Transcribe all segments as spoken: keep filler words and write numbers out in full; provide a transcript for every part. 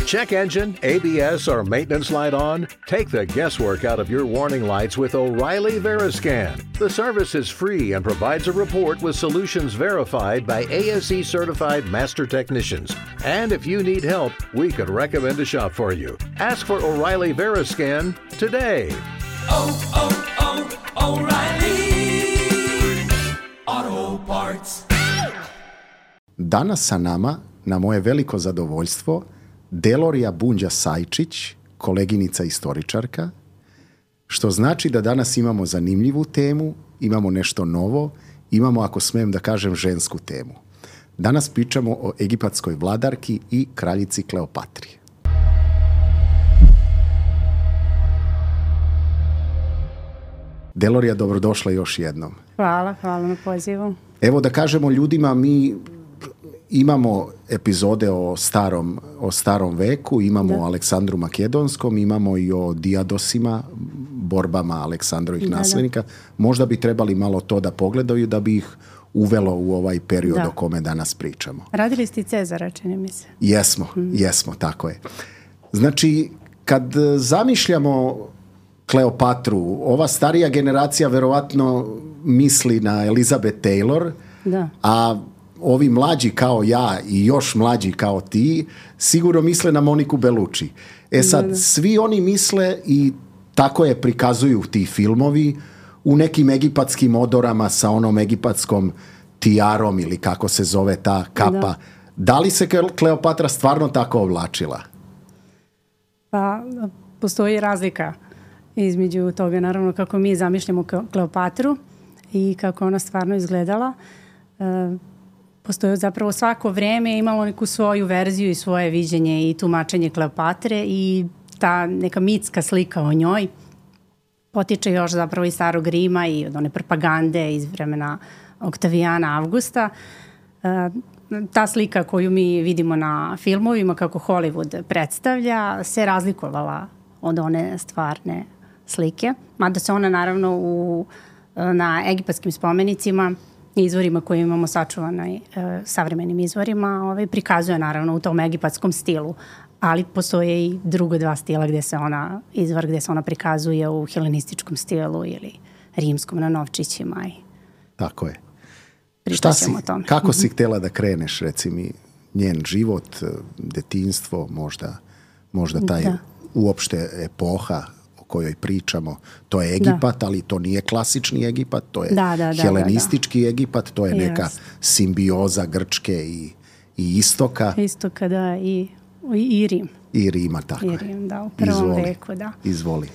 Check engine, A B S, or maintenance light on? Take the guesswork out of your warning lights with O'Reilly Veriscan. The service is free and provides a report with solutions verified by A S E certified master technicians. And if you need help, we could recommend a shop for you. Ask for O'Reilly Veriscan today. Oh, oh, oh, O'Reilly Auto Parts. Danas sa nama, na moje veliko zadovoljstvo, Delorija Bunđa-Sajčić, koleginica istoričarka, što znači da danas imamo zanimljivu temu, imamo nešto novo, imamo, ako smijem da kažem, žensku temu. Danas pričamo o egipatskoj vladarki i kraljici Kleopatri. Delorija, dobrodošla još jednom. Hvala, hvala na pozivu. Evo da kažemo ljudima, mi imamo epizode o starom, o starom veku, imamo da. o Aleksandru Makedonskom, imamo i o Dijadosima, borbama Aleksandrovih da, naslednika. Da. Možda bi trebali malo to da pogledaju da bi ih uvelo u ovaj period da. o kome danas pričamo. Radili ste i Cezara, čini mi se. Jesmo, mm. jesmo, tako je. Znači, kad zamišljamo Kleopatru, ova starija generacija verovatno misli na Elizabeth Taylor, da. a ovi mlađi kao ja i još mlađi kao ti sigurno misle na Moniku Bellucci. E sad, da, da. svi oni misle i tako je prikazuju ti filmovi u nekim egipatskim odorama sa onom egipatskom tijarom ili kako se zove ta kapa. Da, da li se Kleopatra stvarno tako oblačila? Pa, postoji razlika između toga, naravno, kako mi zamišljamo Kleopatru i kako ona stvarno izgledala. E, postoji zapravo svako vreme imalo neku svoju verziju i svoje viđenje i tumačenje Kleopatre i ta neka mitska slika o njoj potiče još zapravo iz starog Rima i od one propagande iz vremena Oktavijana Avgusta. E, ta slika koju mi vidimo na filmovima kako Hollywood predstavlja se razlikovala od one stvarne slike, mada se ona naravno u, na egipatskim spomenicima i izvorima koje imamo sačuvanoj e, savremenim izvorima ovaj, prikazuje naravno u tom egipatskom stilu, ali postoje i drugo dva stila gde se ona, izvor gde se ona prikazuje u helenističkom stilu ili rimskom na novčićima. I tako je. Šta si, kako si htjela da kreneš, reci mi, njen život, detinjstvo, možda, možda taj da. uopšte epoha kojoj pričamo, to je Egipat, da. ali to nije klasični Egipat, to je da, da, da, helenistički da, da. Egipat, to je yes. neka simbioza Grčke i, i Istoka. Istoka, da, i, i Rim. I Rima, tako I Rim, da, u prvom Izvoli. veku, da. Izvoli.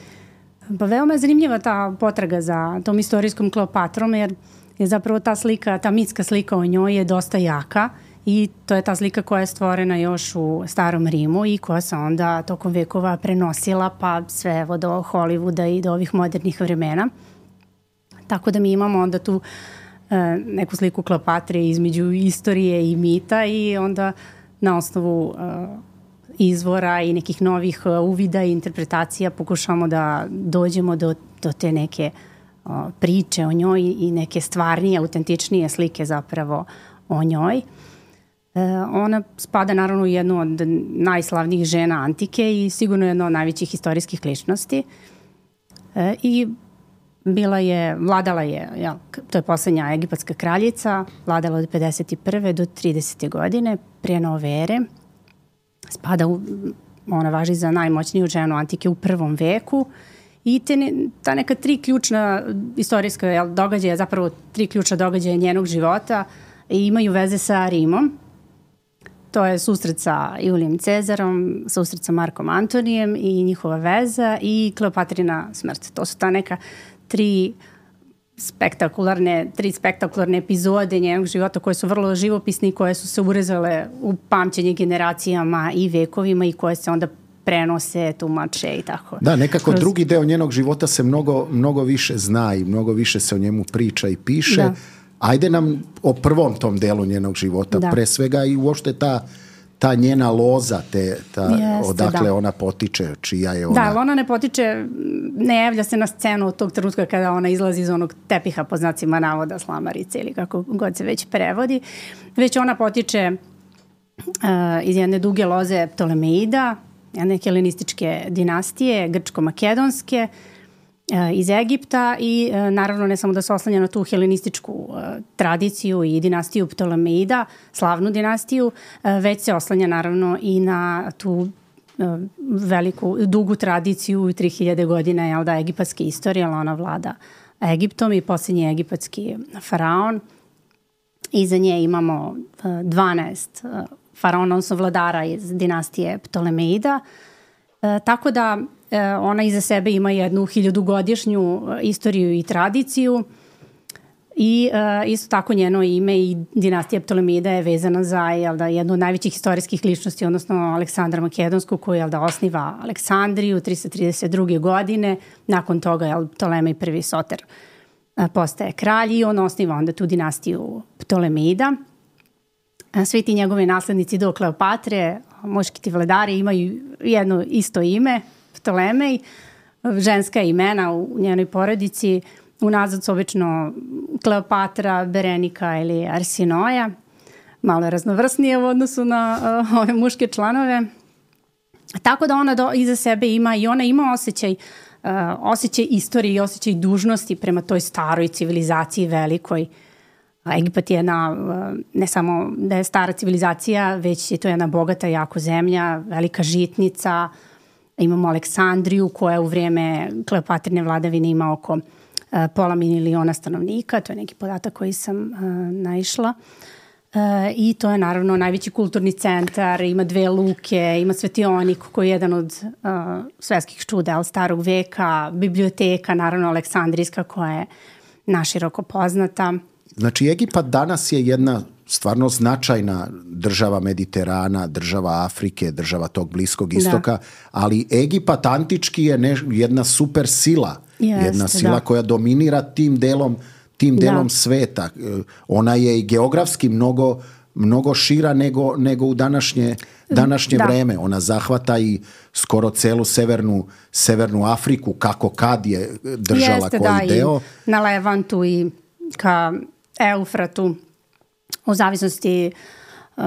Pa veoma je zanimljiva ta potraga za tom istorijskom Kleopatrom, jer je zapravo ta slika, ta mitska slika o njoj je dosta jaka i to je ta slika koja je stvorena još u starom Rimu i koja se onda tokom vekova prenosila pa sve evo do Hollywooda i do ovih modernih vremena. Tako da mi imamo onda tu e, neku sliku Kleopatre između istorije i mita i onda na osnovu e, izvora i nekih novih uvida i interpretacija pokušamo da dođemo do, do te neke o, priče o njoj i neke stvarnije, autentičnije slike zapravo o njoj. E, ona spada naravno u jednu od najslavnijih žena antike i sigurno jedna od najvećih istorijskih ličnosti. E, I bila je, vladala je, ja, to je poslednja egipatska kraljica, vladala od pedeset prve do tridesete godine prije nove ere. Spada u, ona važi za najmoćniju ženu antike u prvom veku i te ne, ta neka tri ključna istorijska jel, događaja, zapravo tri ključna događaja njenog života i imaju veze sa Rimom. To je susret sa Julijem Cezarom, susret sa Markom Antonijem i njihova veza i Kleopatrina smrt. To su ta neka tri spektakularne, tri spektakularne epizode njenog života koje su vrlo živopisne i koje su se urezale u pamćenje generacijama i vekovima i koje se onda prenose, tumače i tako. Da, nekako Kroz... drugi deo njenog života se mnogo, mnogo više zna i mnogo više se o njemu priča i piše. Da. Ajde nam o prvom tom delu njenog života, da. pre svega i uopšte ta, ta njena loza, te, ta, Jeste, odakle da. ona potiče, čija je ona... Da, ona ne potiče, ne javlja se na scenu od tog trenutka kada ona izlazi iz onog tepiha po znacima navoda, slamarice ili kako god se već prevodi, već ona potiče iz jedne duge loze Ptolemeida, jedne helenističke dinastije, grčko-makedonske, iz Egipta i naravno ne samo da se oslanja na tu helenističku tradiciju i dinastiju Ptolemeida, slavnu dinastiju, već se oslanja naravno i na tu veliku, dugu tradiciju tri hiljade godina, jel da, egipatske istorije, ali ona vlada Egiptom i posljednji egipatski faraon. Iza nje imamo dvanaest faraona, odnosno vladara iz dinastije Ptolemeida. E, tako da e, ona iza sebe ima jednu hiljadugodišnju istoriju i tradiciju i e, isto tako njeno ime i dinastija Ptolemeida je vezana za jel da, jednu od najvećih istorijskih ličnosti, odnosno Aleksandra Makedonsku, koji jel da, osniva Aleksandriju tristo trideset druge godine. Nakon toga jel, Ptolemej prvi Soter e, postaje kralj i on osniva onda tu dinastiju Ptolemeida. Svi ti njegovi naslednici do Kleopatre, muški ti vladari, imaju jedno isto ime, Ptolemej, ženska imena u njenoj porodici, unazad su obično Kleopatra, Berenika ili Arsinoja, malo je raznovrsnije u odnosu na uh, ove muške članove. Tako da ona do, iza sebe ima i ona ima osjećaj, uh, osjećaj istorije i osjećaj dužnosti prema toj staroj civilizaciji velikoj. Egipat je jedna, ne samo da je stara civilizacija, već je to jedna bogata jako zemlja, velika žitnica. Imamo Aleksandriju koja u vrijeme Kleopatrine vladavine ima oko pola miliona stanovnika, to je neki podatak koji sam uh, naišla. Uh, I to je naravno najveći kulturni centar, ima dve luke, ima svetionik koji je jedan od uh, svetskih čuda starog veka, biblioteka, naravno Aleksandrijska koja je naširoko poznata. Znači, Egipat danas je jedna stvarno značajna država Mediterana, država Afrike, država tog Bliskog istoka, da. Ali Egipat antički je ne, jedna super sila, Jeste, jedna sila da. koja dominira tim delom, tim delom da. sveta. Ona je i geografski mnogo, mnogo šira nego, nego u današnje, današnje da. vreme. Ona zahvata i skoro celu severnu, severnu Afriku, kako kad je držala Jeste, koji da, deo. I na Levantu i ka Eufratu, u zavisnosti uh,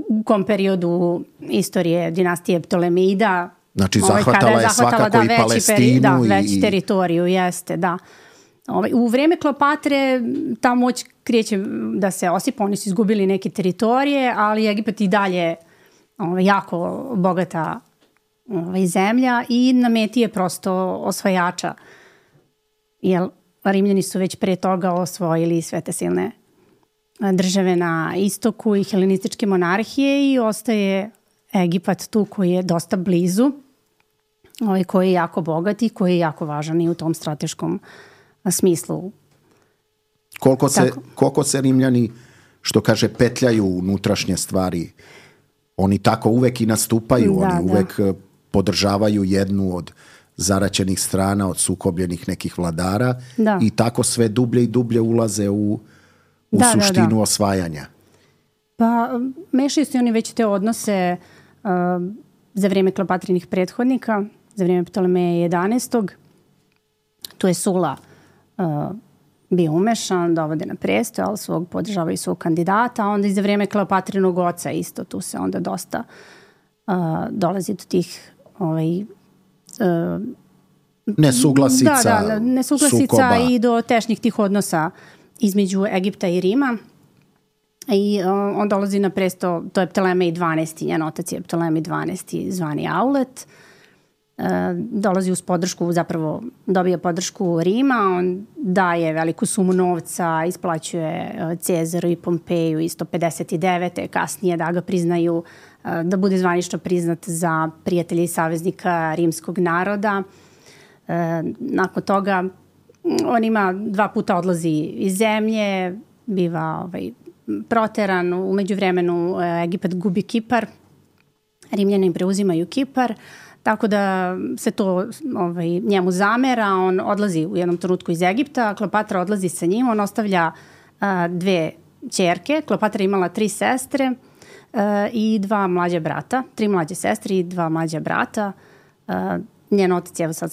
u kom periodu istorije dinastije Ptolemeida. Znači zahvatala je, je svakako da, i Palestinu. Peri, da, i, veći teritoriju, jeste, da. Ovaj, u vrijeme Kleopatre ta moć kreće da se osipa, oni su izgubili neke teritorije, ali Egipat i dalje ovaj, jako bogata ovaj, zemlja i na meti je prosto osvajača. Jer Rimljani su već pre toga osvojili sve te silne države na istoku i helenističke monarhije i ostaje Egipat tu koji je dosta blizu, ovaj, koji je jako bogat i koji je jako važan i u tom strateškom smislu. Koliko se, koliko se Rimljani, što kaže, petljaju unutrašnje stvari, oni tako uvek i nastupaju, da, oni uvek da. podržavaju jednu od zaraćenih strana, od sukobljenih nekih vladara da. i tako sve dublje i dublje ulaze u, u da, suštinu da, da. osvajanja. Pa mešaju se oni već te odnose uh, za vrijeme Kleopatrinih prethodnika, za vrijeme Ptolemeja jedanaestog. Tu je Sula uh, bio umešan, dovode na prestol, ali svog podržavaju svog kandidata, a onda i za vrijeme Kleopatrinog oca isto, tu se onda dosta uh, dolazi do tih ovaj, uh, nesuglasica, da, da, nesuglasica sukoba. I do tešnjih tih odnosa između Egipta i Rima. I uh, on dolazi na presto, to je Ptolemej dvanaesti, njen otac je Ptolemej dvanaesti zvani Aulet. Uh, dolazi uz podršku, zapravo dobija podršku Rima, on daje veliku sumu novca, isplaćuje uh, Cezaru i Pompeju i sto pedeset devete kasnije da ga priznaju, uh, da bude zvanično priznat za prijatelja i saveznika rimskog naroda. Uh, nakon toga on ima dva puta odlazi iz zemlje, biva ovaj, proteran, u međuvremenu Egipat gubi Kipar, Rimljani preuzimaju Kipar, tako da se to ovaj, njemu zamera, on odlazi u jednom trenutku iz Egipta, Kleopatra odlazi sa njim, on ostavlja a, dve ćerke, Kleopatra imala tri sestre a, i dva mlađa brata, tri mlađe sestre i dva mlađa brata. A, njen otac, evo sad,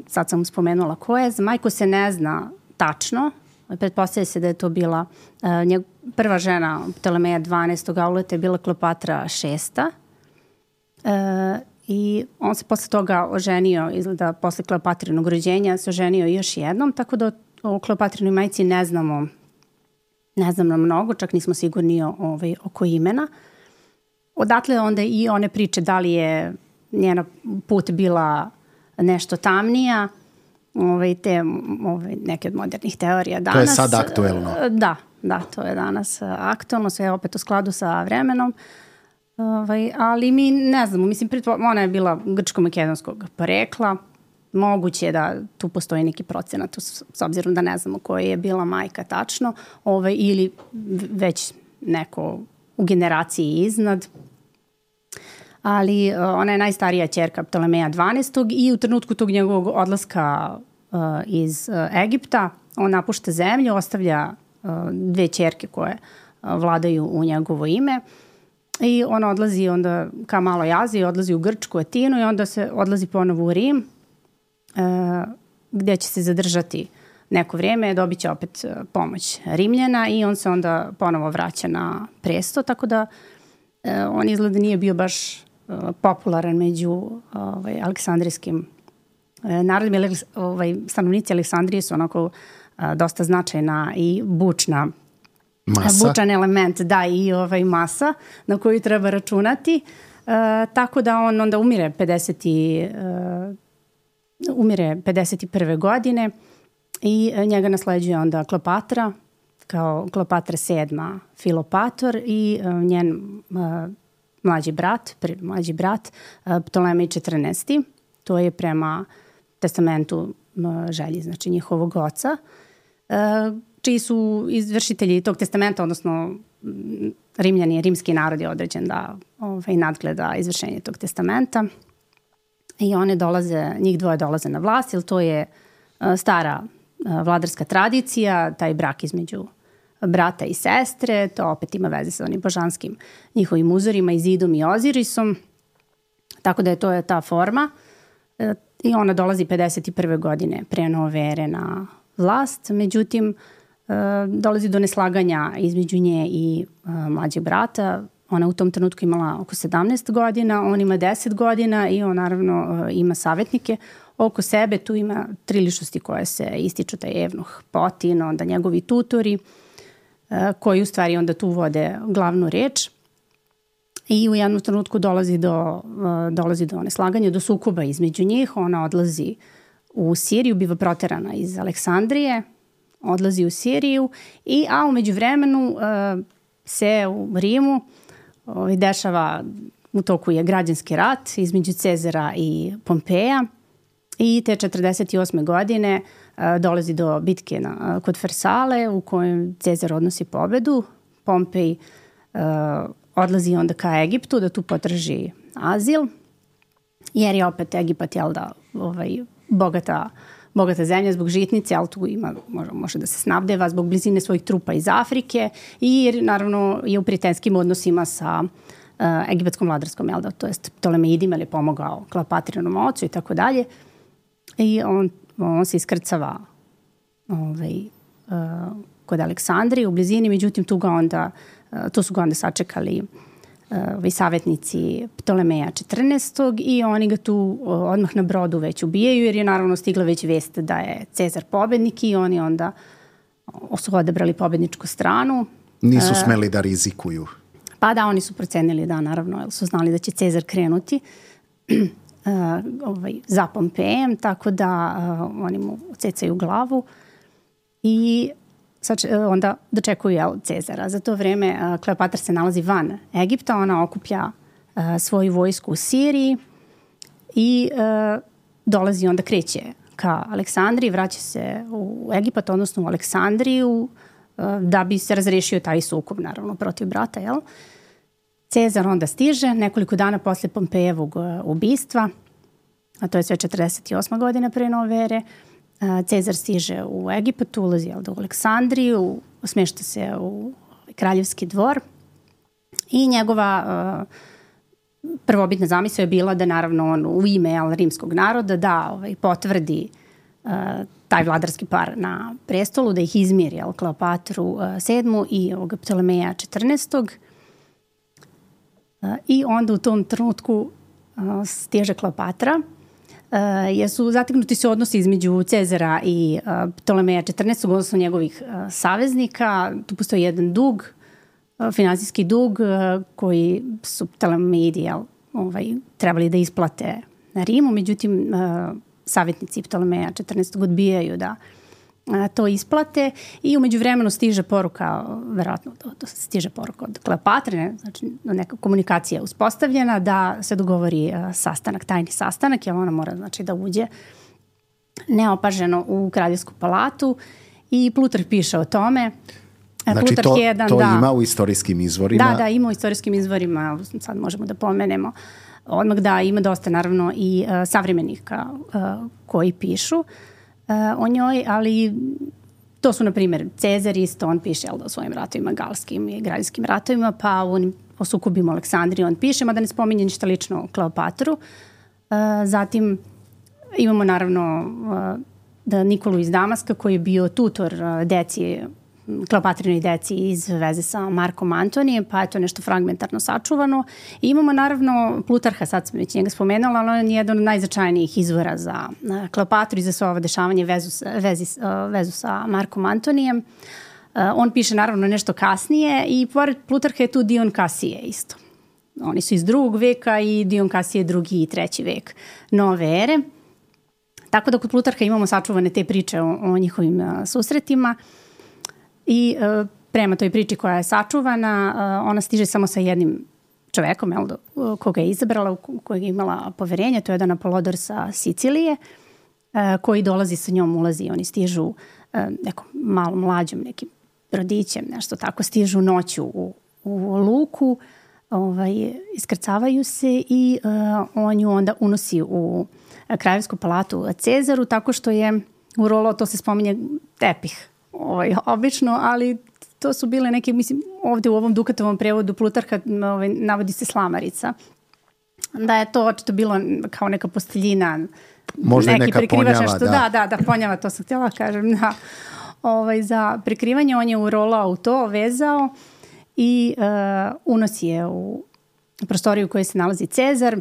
sad sam spomenula ko je, za majku se ne zna tačno, Pretpostavlja se da je to bila uh, njeg, prva žena Ptolemeja dvanaestog Auleta je bila Kleopatra šesta. Uh, I on se posle toga oženio, izgleda posle Kleopatrinog rođenja, se oženio još jednom, tako da o Kleopatrinoj majci ne znamo, ne znamo mnogo, čak nismo sigurni o, ovaj, oko imena. Odatle onda i one priče da li je njena put bila nešto tamnija, ovaj, te ovaj, neke od modernih teorija danas. To je sad aktuelno. Da, da, to je danas aktuelno, sve je opet u skladu sa vremenom. Ovaj, ali mi ne znamo, mislim, ona je bila grčko-makedonskog porekla, moguće je da tu postoji neki procenat, s obzirom da ne znamo koja je bila majka tačno, ovaj, ili već neko u generaciji iznad. Ali ona je najstarija ćerka Ptolemeja dvanaestog i u trenutku tog njegovog odlaska uh, iz uh, Egipta, on napušta zemlju, ostavlja uh, dve ćerke koje uh, vladaju u njegovo ime. I ona odlazi onda ka Maloj Aziji, odlazi u Grčku, Atinu i onda se odlazi ponovo u Rim, uh, gde će se zadržati neko vrijeme, dobit će opet uh, pomoć Rimljana i on se onda ponovo vraća na presto, tako da uh, on izgleda nije bio baš uh, popularan među ovaj, aleksandrijskim uh, narodima. Ovaj, stanovnici Aleksandrije su onako uh, dosta značajna i bučna Masa. Bučan element, da, i ovaj masa na koju treba računati. Uh, tako da on onda umire pedeset i, uh, umire pedeset prve godine i njega nasleđuje onda Kleopatra kao Kleopatra sedma Filopator i uh, njen uh, mlađi brat, prvi mlađi brat uh, Ptolemej četrnaesti. To je prema testamentu uh, želji, znači njihovog oca. Uh, čiji su izvršitelji tog testamenta, odnosno Rimljani, rimski narod je određen da ovaj, nadgleda izvršenje tog testamenta. I one dolaze, njih dvoje dolaze na vlast, jer to je uh, stara uh, vladarska tradicija, taj brak između brata i sestre, to opet ima veze sa onim božanskim njihovim uzorima, Izidom i Ozirisom. Tako da je to je ta forma. Uh, I ona dolazi pedeset prve godine pre nove ere na vlast, međutim, Uh, dolazi do neslaganja između nje i uh, mlađeg brata. Ona u tom trenutku imala oko sedamnaest godina, on ima deset godina i on naravno uh, ima savjetnike oko sebe. Tu ima tri ličnosti koje se ističu, taj Evnuh Potin, onda njegovi tutori uh, koji u stvari onda tu vode glavnu reč. I u jednom trenutku dolazi do, uh, dolazi do neslaganja, do sukoba između njih. Ona odlazi u Siriju, biva proterana iz Aleksandrije, odlazi u Siriju, i, a umeđu vremenu uh, se u Rimu uh, dešava, u toku je građanski rat između Cezara i Pompeja i te četrdeset osme godine uh, dolazi do bitke na, uh, kod Farsale u kojem Cezar odnosi pobedu. Pompej uh, odlazi onda ka Egiptu da tu potraži azil, jer je opet Egipat, jel da, ovaj, bogata bogata zemlja zbog žitnice, ali tu ima, može, može da se snabdeva zbog blizine svojih trupa iz Afrike i jer naravno je u prijateljskim odnosima sa uh, egipatskom vladarskom, jel da, to jest Ptolemeidima, ili je pomogao Kleopatrinom ocu i tako dalje. I on, on se iskrcava ovaj, uh, kod Aleksandrije u blizini, međutim tu ga onda, uh, tu su ga onda sačekali uh, savjetnici Ptolemeja četrnaestog i oni ga tu uh, odmah na brodu već ubijaju, jer je naravno stigla već vest da je Cezar pobednik i oni onda su odabrali pobedničku stranu. Nisu smeli da rizikuju. Pa da, oni su procenili da, naravno, jer su znali da će Cezar krenuti uh, ovaj, za Pompejem, tako da uh, oni mu cecaju glavu i onda dočekuju, jel, Cezara. Za to vreme uh, Kleopatra se nalazi van Egipta, ona okuplja uh, svoju vojsku u Siriji i uh, dolazi, onda kreće ka Aleksandriji, vraća se u Egipat, odnosno u Aleksandriju, uh, da bi se razrešio taj sukob, naravno, protiv brata, jel? Cezar onda stiže nekoliko dana posle Pompejevog uh, ubistva, a to je sve četrdeset osma godina pre nove ere. Cezar stiže u Egipat, ulazi u Aleksandriju, smješta se u kraljevski dvor i njegova uh, prvobitna zamisao je bila da naravno on u ime jel, rimskog naroda da ovaj, potvrdi uh, taj vladarski par na prestolu, da ih izmiri, jel, Kleopatru uh, sedmu i ovoga Ptolemeja četrnaestog. Uh, I onda u tom trenutku uh, stiže Kleopatra, uh, jer su zategnuti se odnosi između Cezara i uh, Ptolemeja četrnaestog, odnosno njegovih uh, saveznika. Tu postoji jedan dug, uh, finansijski dug uh, koji su Ptolemeidi, jel, ovaj, trebali da isplate na Rimu, međutim uh, savjetnici Ptolemeja četrnaestog odbijaju da a, to isplate i umeđu vremenu stiže poruka, verovatno to, to stiže poruka od Kleopatre, ne, znači neka komunikacija uspostavljena da se dogovori a, sastanak, tajni sastanak, jer ona mora, znači, da uđe neopaženo u kraljevsku palatu i Plutarh piše o tome. Znači Plutarh to, jedan, to da, ima u istorijskim izvorima? Da, da, ima u istorijskim izvorima, sad možemo da pomenemo odmah, da ima dosta naravno i uh, savremenika uh, koji pišu uh, o njoj, ali to su na primjer Cezar isto, on piše, jel, da, o svojim ratovima galskim i građanskim ratovima, pa on, o sukobima Aleksandrije on piše, mada ne spominje ništa lično o Kleopatru. Uh, zatim imamo naravno uh, da Nikolu iz Damaska koji je bio tutor uh, deci Kleopatrinoj deci iz veze sa Markom Antonijem, pa je to nešto fragmentarno sačuvano. I imamo naravno Plutarha, sad sam već njega spomenula, ali on je jedan od najznačajnijih izvora za Kleopatru i za sve ovo dešavanje vezu, vezi, vezu sa Markom Antonijem. On piše naravno nešto kasnije i pored Plutarha je tu Dion Kasije isto. Oni su iz drugog veka i Dion Kasije drugi i treći vek nove ere. Tako da kod Plutarha imamo sačuvane te priče o, o njihovim a, susretima. I uh, prema toj priči koja je sačuvana, uh, ona stiže samo sa jednim čovekom, jel, do, uh, koga je izabrala, u kojeg je imala poverenje, to je jedan Apolodor sa Sicilije, uh, koji dolazi sa njom, ulazi, oni stižu uh, nekom malom mlađom, nekim rodićem, nešto tako, stižu noću u, u luku, ovaj, iskrcavaju se i uh, on ju onda unosi u kraljevsku palatu Cezaru, tako što je urolao, to se spominje, tepih. Ovaj, obično, ali to su bile neke, mislim, ovde u ovom Dukatovom prevodu Plutarha ovaj, navodi se slamarica. Da je to očito bilo kao neka posteljina, možda neki neka prekrivač, ponjava, nešto, da. da, da, da, ponjava, to sam htjela kažem, da. Ovaj, za prekrivanje on je urolao u to, vezao i uh, unosi je u prostoriju u kojoj se nalazi Cezar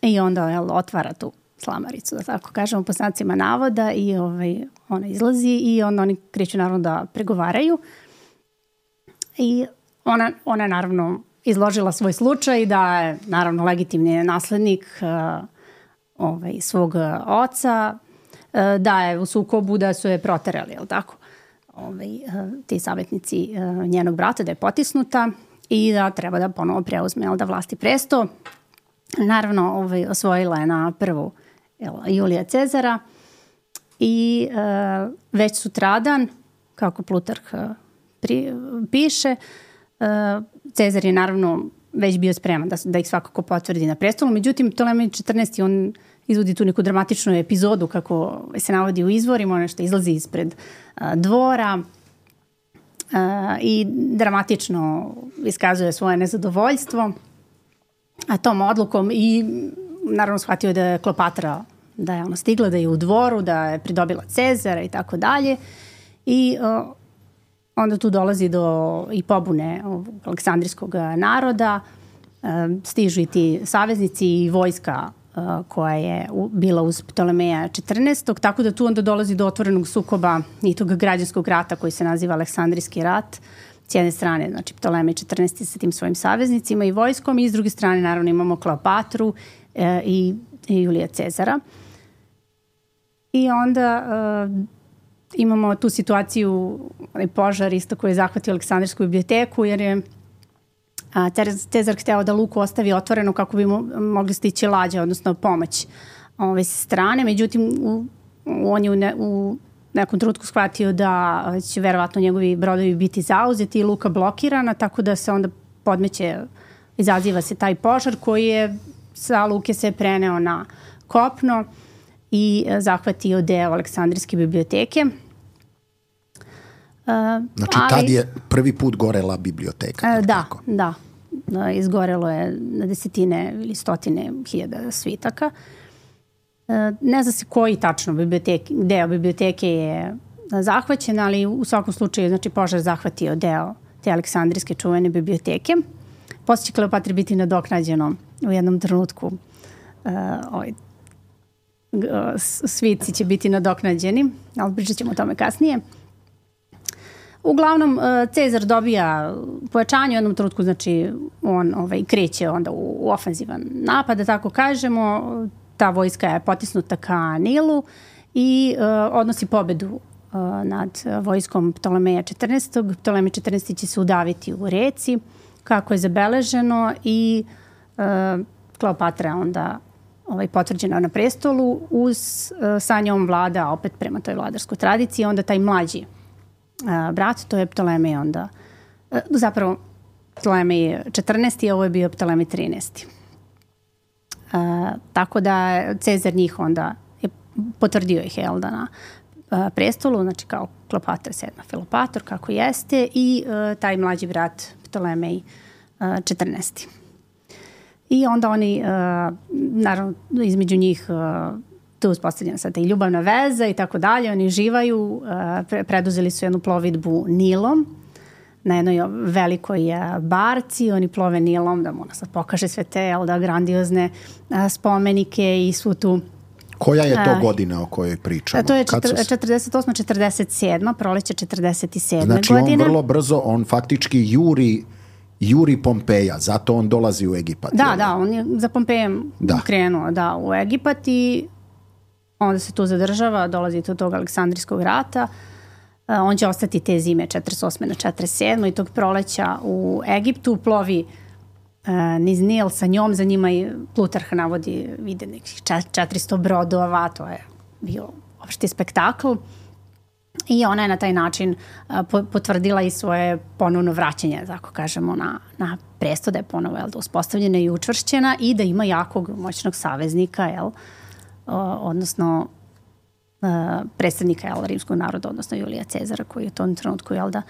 i onda, jel, otvara tu slamaricu, da tako kažemo, po znacima navoda i ovaj, ona izlazi i onda oni kreću naravno da pregovaraju i ona, ona je naravno izložila svoj slučaj da je naravno legitimni naslednik uh, ovaj, svog oca, uh, da je u sukobu, da su je proterali, jel tako? Ovaj, uh, ti savjetnici uh, njenog brata, da je potisnuta i da treba da ponovo preuzme, jel, da vlasti presto. Naravno, ovaj, osvojila je na prvu, jel, Julija Cezara i uh, već sutradan, kako Plutarh uh, pri, piše, uh, Cezar je naravno već bio spreman da, da ih svakako potvrdi na prestolu. Međutim, Ptolemej četrnaesti on izvodi tu neku dramatičnu epizodu, kako se navodi u izvorima, ono što izlazi ispred uh, dvora uh, i dramatično iskazuje svoje nezadovoljstvo a tom odlukom i naravno shvatio da je Kleopatra, da je ona stigla, da je u dvoru, da je pridobila Cezara i tako dalje. I uh, onda tu dolazi do i pobune aleksandrijskog naroda, uh, stižu i ti saveznici i vojska uh, koja je u, bila uz Ptolemeja četrnaestog, tako da tu onda dolazi do otvorenog sukoba i tog građanskog rata koji se naziva Aleksandrijski rat. S jedne strane, znači Ptolemej četrnaesti sa tim svojim saveznicima i vojskom i s druge strane naravno imamo Kleopatru e, i, i Julija Cezara. I onda e, imamo tu situaciju, onaj požar isto koji je zahvatio Aleksandrijsku biblioteku jer je a, Cezar hteo da luku ostavi otvoreno kako bi mu mogli stići lađe, odnosno pomoć ove strane. Međutim, u, on je u, ne, u nekom trenutku shvatio da će verovatno njegovi brodovi biti zauzeti i luka blokirana, tako da se onda podmeće, izaziva se taj požar koji je sa luke se preneo na kopno i zahvatio deo Aleksandrijske biblioteke. Znači ali, tad je prvi put gorela biblioteka. Da, tako? da. Izgorelo je na desetine ili stotine hiljada svitaka. Ne zna se koji tačno biblioteke, deo biblioteke je zahvaćen, ali u svakom slučaju znači, požar zahvatio deo te aleksandrijske čuvene biblioteke. Posle će Kleopatri biti nadoknađeno u jednom trenutku. Uh, ovaj, svici će biti nadoknađeni, ali pričat ćemo o tome kasnije. Uglavnom, Cezar dobija pojačanje u jednom trenutku, znači on ovaj, kreće onda u, u ofenzivan napad, da tako kažemo. Ta vojska je potisnuta ka Nilu i uh, odnosi pobedu uh, nad vojskom Ptolemeja četrnaestog. Ptolemej četrnaesti će se udaviti u reci, kako je zabeleženo, i uh, Kleopatra je onda ovaj, potvrđena na prestolu. Uz, uh, sa njom vlada, opet prema toj vladarskoj tradiciji, onda taj mlađi uh, brat, to je Ptolemej onda, uh, zapravo Ptolemej četrnaesti, a ovo je bio Ptolemej trinaesti. Uh, tako da Cezar njih onda je potvrdio ih jel da na uh, prestolu, znači kao Kleopatra sedma Filopator, kako jeste, i uh, taj mlađi brat Ptolemej uh, četrnaesti. I onda oni, uh, naravno, između njih uh, tu uspostavljena sad i ljubavna veza i tako dalje, oni živaju, uh, pre preduzeli su jednu plovidbu Nilom, na jednoj velikoj barci, oni plove Nilom, da mu ona sad pokaže sve te jel da, grandiozne a, spomenike i svu tu... Koja je to godina o kojoj pričamo? To je četrdeset osma četrdeset sedma, proleće četrdeset sedme znači, godine. on vrlo brzo, on faktički juri, juri Pompeja, zato on dolazi u Egipat. Da, jel? da, on je za Pompejem da. krenuo da, u Egipat i onda se tu zadržava, dolazi do tog Aleksandrijskog rata. Uh, on će ostati te zime četrdeset osme na četrdeset sedme i tog proleća u Egiptu, plovi uh, niz Nil sa njom, za njima i Plutarh navodi, vide nekih četiristo brodova, to je bio opšti spektakl. I ona je na taj način uh, potvrdila i svoje ponovno vraćanje, tako kažemo, na, na presto, da je ponovo jel, da uspostavljena i učvršćena i da ima jakog moćnog saveznika, jel, uh, odnosno Uh, predstavnika jel, rimskog naroda, odnosno Julija Cezara, koji je u tom trenutku jel, da,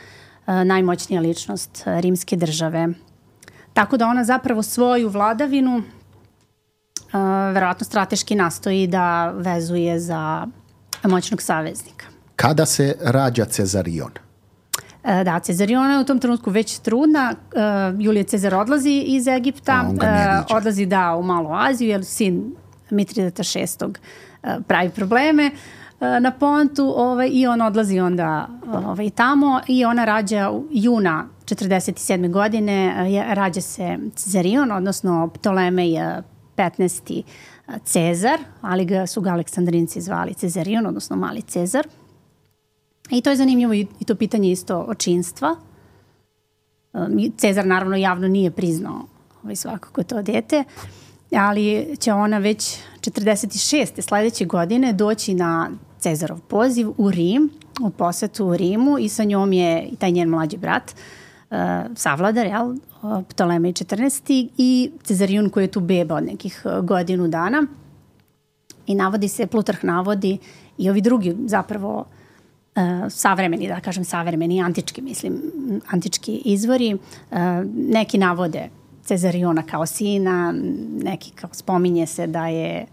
uh, najmoćnija ličnost uh, rimske države. Tako da ona zapravo svoju vladavinu uh, verovatno strateški nastoji da vezuje za moćnog saveznika. Kada se rađa Cezarion? Uh, da, Cezariona je u tom trenutku već trudna. Uh, Julije Cezar odlazi iz Egipta, uh, odlazi da u Malu Aziju, jer sin Mitridata šestog uh, pravi probleme na Pontu, ovaj, i on odlazi onda ovaj, tamo i ona rađa juna četrdeset sedme godine, rađa se Cezarion, odnosno Ptolemej petnaesti Cezar, ali ga su ga Aleksandrinci zvali Cezarion, odnosno Mali Cezar. I to je zanimljivo i to pitanje isto očinstva. Cezar naravno javno nije priznao ovaj, svakako to dete, ali će ona već četrdeset šeste sledeće godine doći na Cezarov poziv u Rim, u posetu u Rimu, i sa njom je i taj njen mlađi brat, uh, savladar, jel, Ptolemej četrnaesti i Cezarion koji je tu beba od nekih godinu dana. I navodi se, Plutarh navodi i ovi drugi zapravo uh, savremeni, da kažem savremeni, antički, mislim, antički izvori. Uh, neki navode Cezariona kao sina, neki kao spominje se da je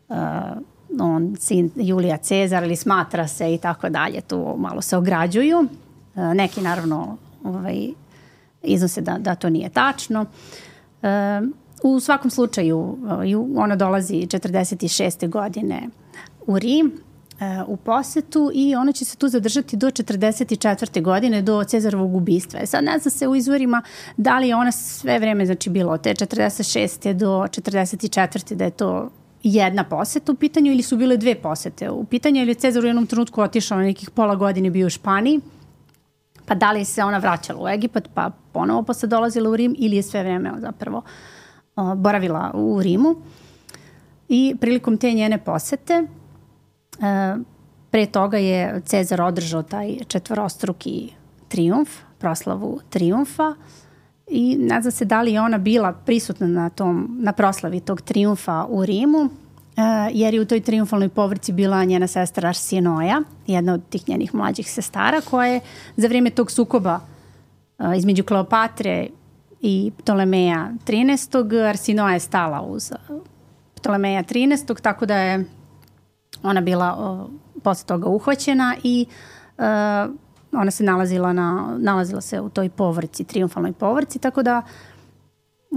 uh, on sin Julija Cezar ili smatra se i tako dalje, tu malo se ograđuju. Uh, neki naravno ovaj, iznose da, da to nije tačno. Uh, u svakom slučaju uh, ona dolazi četrdeset šeste godine u Rim, u posetu, i ona će se tu zadržati do četrdeset četvrte godine, do Cezarovog ubistva. Sad ne zna se u izvorima da li je ona sve vreme, znači bilo od te četrdeset šeste do četrdeset četvrte da je to jedna poseta u pitanju ili su bile dve posete u pitanju, ili je Cezar u jednom trenutku otišao na nekih pola godine, bio u Španiji, pa da li se ona vraćala u Egipat, pa ponovo posle dolazila u Rim, ili je sve vreme zapravo uh, boravila u Rimu. I prilikom te njene posete Uh, pre toga je Cezar održao taj četvorostruki trijumf, proslavu trijumfa, i ne zna se da li je ona bila prisutna na, tom, na proslavi tog trijumfa u Rimu, uh, jer je u toj trijumfalnoj povorci bila njena sestra Arsinoja, jedna od tih njenih mlađih sestara, koja je za vrijeme tog sukoba uh, između Kleopatre i Ptolemeja trinaestog. Arsinoja je stala uz Ptolemeja trinaestog, tako da je ona bila uh, posle toga uhvaćena i uh, ona se nalazila, na, nalazila se u toj povorci, triumfalnoj povorci, tako da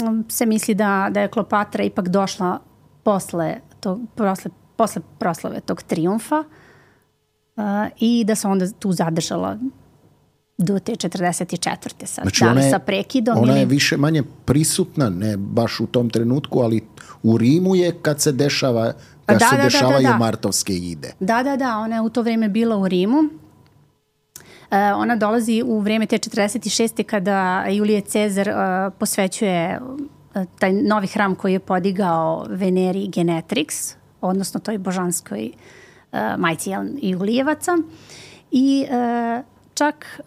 um, se misli da, da je Kleopatra ipak došla posle, to, posle, posle proslave tog triumfa uh, i da se onda tu zadržala do te četrdeset četvrte sad. Znači, da li ona je, sa prekidom ona ili... je više manje prisutna, ne baš u tom trenutku, ali u Rimu je kad se dešava kad da, se da, dešavaju da, da, da. martovske ide. Da, da, da, ona je u to vreme bila u Rimu. Uh, ona dolazi u vreme te četrdeset šeste kada Julije Cezar uh, posvećuje uh, taj novi hram koji je podigao Veneri Genetrix, odnosno toj božanskoj uh, majci Julijevaca. I uh, čak uh,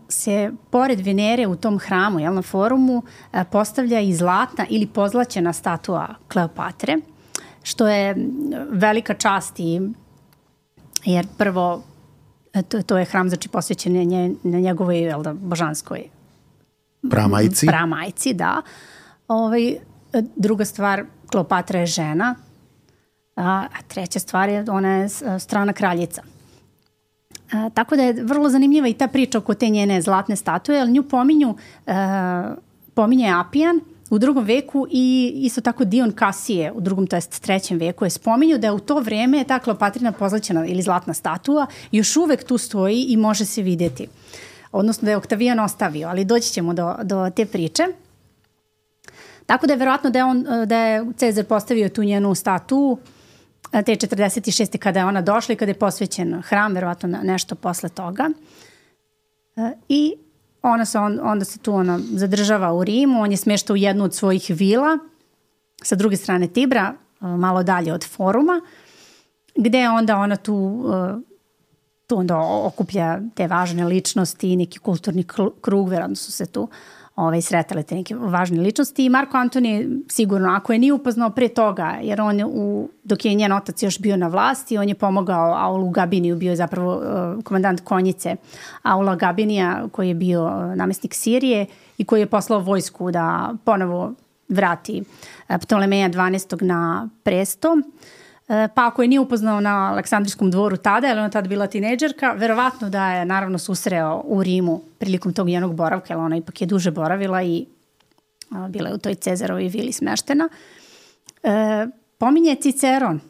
se pored Venere u tom hramu, jel, na forumu, uh, postavlja i zlatna ili pozlaćena statua Kleopatre, što je velika čast i jer prvo to, to je hram znači posvećen nje, na njegovoj jel da, božanskoj pramajci. Pramajci, da. Ovaj, druga stvar, Kleopatra je žena, a, a treća stvar je ona je strana kraljica. A, tako da je vrlo zanimljiva i ta priča oko te njene zlatne statue, ali nju pominju, a, pominje Apijan u drugom veku i isto tako Dion Kasije u drugom, to jest trećem veku je spominju da je u to vreme ta Kleopatrina pozlaćena ili zlatna statua još uvek tu stoji i može se vidjeti. Odnosno da je Oktavijan ostavio, ali doći ćemo do, do te priče. Tako da je verovatno da je, on, da je Cezar postavio tu njenu statu te četrdeset šeste kada je ona došla i kada je posvećen hram, verovatno nešto posle toga. I ona se on, onda se tu ona zadržava u Rimu, on je smešta u jednu od svojih vila sa druge strane Tibra, malo dalje od foruma, gde onda ona tu, tu onda okuplja te važne ličnosti i neki kulturni krug, verovatno su se tu ovaj, sretale te neke važne ličnosti i Marko Antonije sigurno, ako je nije upoznao pre toga, jer on je u, dok je njen otac još bio na vlasti, on je pomogao Aulu Gabiniju, bio je zapravo uh, komandant konjice Aula Gabinija koji je bio uh, namestnik Sirije i koji je poslao vojsku da ponovo vrati uh, Ptolemeja dvanaestog na presto. Pa ako je nije upoznao na Aleksandrijskom dvoru tada, jer ona tada bila tinejdžerka, verovatno da je naravno susreo u Rimu prilikom tog njenog boravka, jer ona ipak je duže boravila i a, bila je u toj Cezarovoj vili smeštena. E, pominje Ciceron,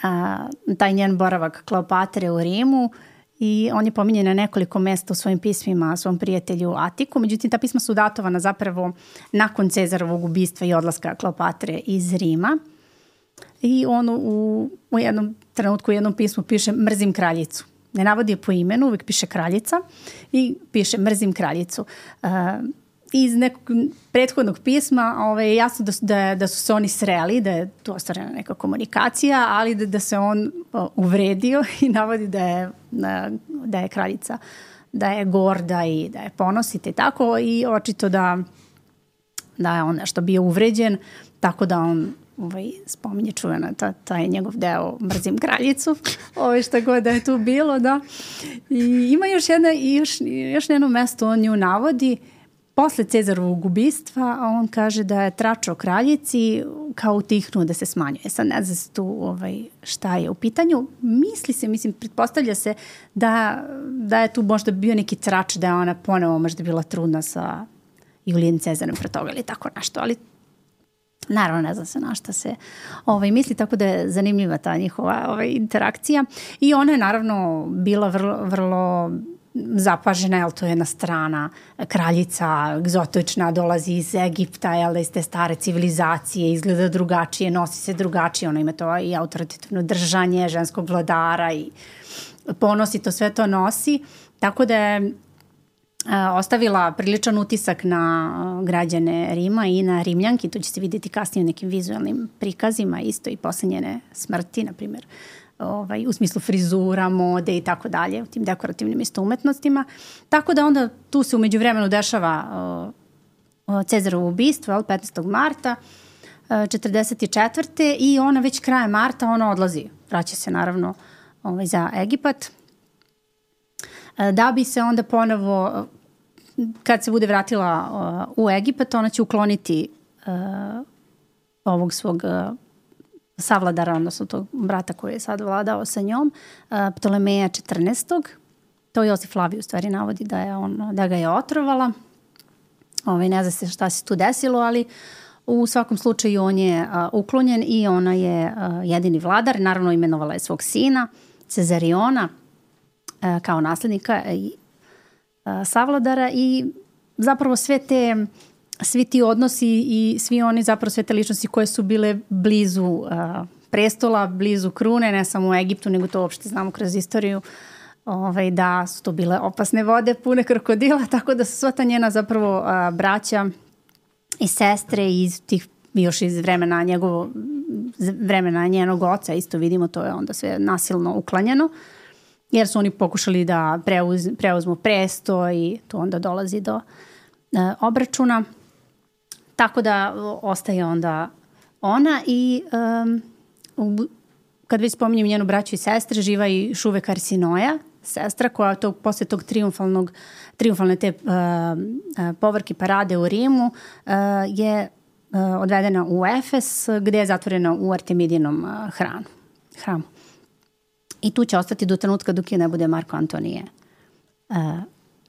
a, taj njen boravak Kleopatre u Rimu i on je pominje na nekoliko mesta u svojim pismima svom prijatelju Atiku, međutim ta pisma su datovana zapravo nakon Cezarovog ubistva i odlaska Kleopatre iz Rima. I on u, u jednom trenutku u jednom pismu piše mrzim kraljicu. Ne navodi je po imenu, uvijek piše kraljica i piše mrzim kraljicu. Uh, iz nekog prethodnog pisma ovaj, jasno da, da, da su se oni sreli, da je tu ostvarena neka komunikacija, ali da, da se on uh, uvredio i navodi da je, da je kraljica, da je gorda i da je ponosita i tako i očito da, da je on nešto bio uvređen, tako da on ovaj, spominje čuvena, ta, taj njegov deo mrzim kraljicu, ovaj, šta god da je tu bilo, da. I ima još jedna, još, još jedno mesto, on nju navodi, posle Cezarovog ubistva, a on kaže da je tračao kraljici kao utihnuo da se smanjuje. Sad ne zna se tu ovaj, šta je u pitanju. Misli se, mislim, pretpostavlja se da, da je tu možda bio neki trač, da je ona ponovo možda bila trudna sa Julijem Cezarom pre toga ili tako nešto, ali naravno ne zna se na šta se ovaj, misli, tako da je zanimljiva ta njihova ovaj, interakcija i ona je naravno bila vrlo, vrlo zapažena, jel to je jedna strana kraljica, egzotična, dolazi iz Egipta, jel da iz te stare civilizacije, izgleda drugačije, nosi se drugačije, ona ima to i autoritativno držanje ženskog vladara i ponosi to, sve to nosi, tako da je ostavila priličan utisak na građane Rima i na Rimljanki, to će se vidjeti kasnije u nekim vizualnim prikazima, isto i posle njene smrti, na primjer, ovaj, u smislu frizura, mode i tako dalje, u tim dekorativnim isto umetnostima. Tako da onda tu se umeđu vremenu dešava uh, Cezarovo ubistvo, petnaestog marta četrdeset četvrte i ona već krajem marta ona odlazi, vraća se naravno ovaj, za Egipat, da bi se onda ponovo, kad se bude vratila uh, u Egipat, ona će ukloniti uh, ovog svog uh, savladara, odnosno tog brata koji je sad vladao sa njom, Ptolemeja četrnaestog. To Josif Flavij u stvari navodi da, je on, da ga je otrovala. Ove, ne zna se šta se tu desilo, ali u svakom slučaju on je a, uklonjen i ona je a, jedini vladar. Naravno imenovala je svog sina, Cezariona, a, kao naslednika i a, savladara i zapravo sve te, svi ti odnosi i svi oni zapravo sve te ličnosti koje su bile blizu a, prestola, blizu krune, ne samo u Egiptu, nego to uopšte znamo kroz istoriju, ovaj, da su to bile opasne vode pune krokodila, tako da su sva ta njena zapravo a, braća i sestre iz tih, još iz vremena njegovo, vremena njenog oca, isto vidimo, to je onda sve nasilno uklanjeno, jer su oni pokušali da preuz, preuzmu presto i to onda dolazi do e, obračuna. Tako da ostaje onda ona i um, kad već spominjem njenu braću i sestre, živa i Šuvek Arsinoja, sestra koja tog, posle tog triumfalnog, triumfalne te uh, uh, povorke parade u Rimu uh, je uh, odvedena u Efes gde je zatvorena u Artemidinom uh, hranu, hramu. I tu će ostati do trenutka dok je ne bude Marko Antonije uh,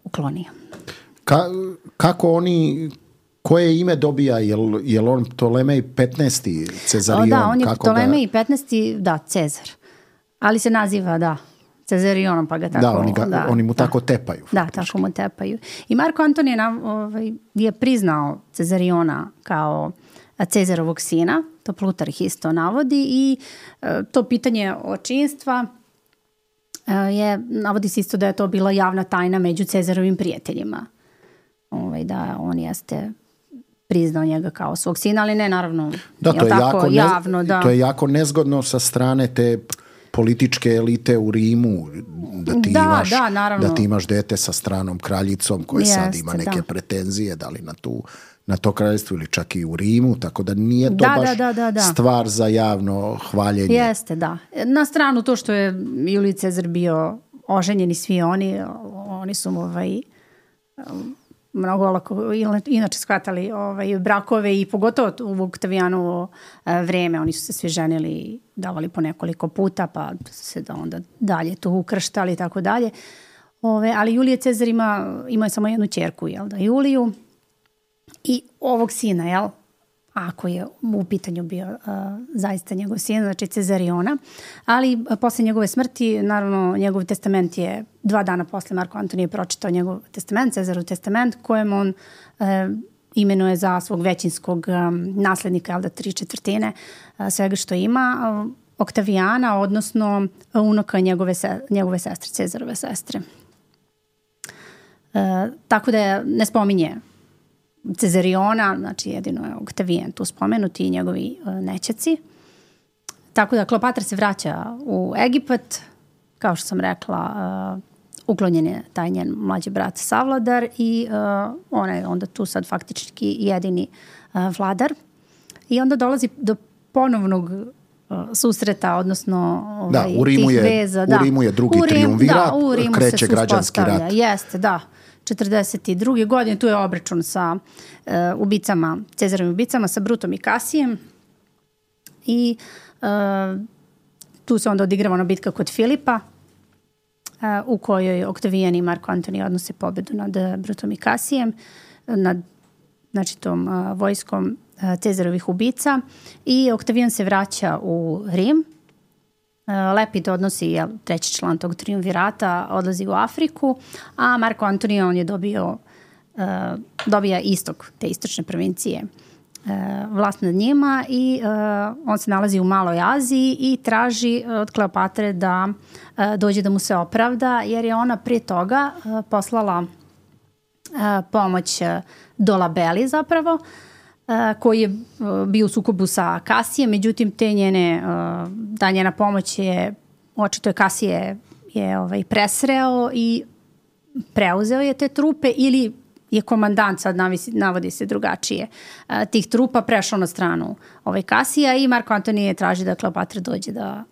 uklonio. Ka, kako oni, koje ime dobija? Jel, jel on Ptolemej petnaesti Cezarion? O, da, on je kako Ptolemej ga... petnaesti, da, Cezar. Ali se naziva, da, Cezarionom, pa ga tako... Da, oni, ga, da, oni mu da, tako tepaju. Da, faktički. tako mu tepaju. I Marko Antonije ovaj, je priznao Cezariona kao Cezarovog sina, to Plutarh isto navodi, i e, to pitanje očinstva e, je, navodi se isto da je to bila javna tajna među Cezarovim prijateljima. Ovaj, da on jeste priznao njega kao svog sina, ali ne naravno da, to je tako, jako javno. Ne, da. To je jako nezgodno sa strane te političke elite u Rimu, da ti, da, imaš, da, naravno. da ti imaš dete sa stranom kraljicom koja Jeste, sad ima neke da. pretenzije, da li na, tu, na to kraljevstvo ili čak i u Rimu, tako da nije to Da, baš da, da, da, da. stvar za javno hvaljenje. Jeste, da. Na stranu to što je Julij Cezar bio oženjen i svi oni, oni su mu ovaj, mnogo olako inače shvatali ovaj, brakove i pogotovo u Oktavijanovo vreme. Oni su se svi ženili i davali po nekoliko puta, pa se da onda dalje tu ukrštali i tako dalje. Ove, ali Julije Cezar ima, ima je samo jednu ćerku, jel da, Juliju, i ovog sina, jel, ako je u pitanju bio uh, zaista njegov sin, znači Cezariona, ali uh, posle njegove smrti, naravno, njegov testament je dva dana posle Marko Antonije pročitao njegov testament, Cezarov testament, kojem on uh, imenuje za svog većinskog um, naslednika, jel da, tri četvrtine uh, svega što ima, uh, Oktavijana, odnosno uh, unuka njegove, se, njegove sestre, Cezarove sestre. Uh, tako da ne spominje Cezariona, znači jedino je Oktavijan tu spomenuti i njegovi uh, nećaci. Tako da Kleopatra se vraća u Egipat, kao što sam rekla, uh, uklonjen je taj njen mlađi brat savladar i uh, ona je onda tu sad faktički jedini uh, vladar. I onda dolazi do ponovnog uh, susreta, odnosno ovaj, da, u Rimu tih je, veza. U Da. Rimu je drugi U Rim, triumvirat, da, u Rimu kreće se građanski rat. Jeste, da. četrdeset druge godine, tu je obračun sa uh, ubicama, Cezarovim ubicama, sa Brutom i Kasijem i uh, tu se onda odigrava ona bitka kod Filipa uh, u kojoj Oktavijan i Marko Antonije odnose pobedu nad Brutom i Kasijem, nad znači tom uh, vojskom uh, Cezarovih ubica i Oktavijan se vraća u Rim. Lepid odnosi, je treći član tog triumvirata, odlazi u Afriku, a Marko Antonije on je dobio, uh, dobija istok, te istočne provincije, uh, vlast nad njima i uh, on se nalazi u Maloj Aziji i traži od Kleopatre da uh, dođe da mu se opravda, jer je ona prije toga uh, poslala uh, pomoć uh, Dolabeli zapravo, koji je bio u sukobu sa Kasijem, međutim te njene, ta njena pomoć je, očito je Kasije je ovaj, presreo i preuzeo je te trupe ili je komandant, sad navisi, navodi se drugačije, tih trupa prešao na stranu ovaj Kasija i Marko Antonije traži da Kleopatra dođe da,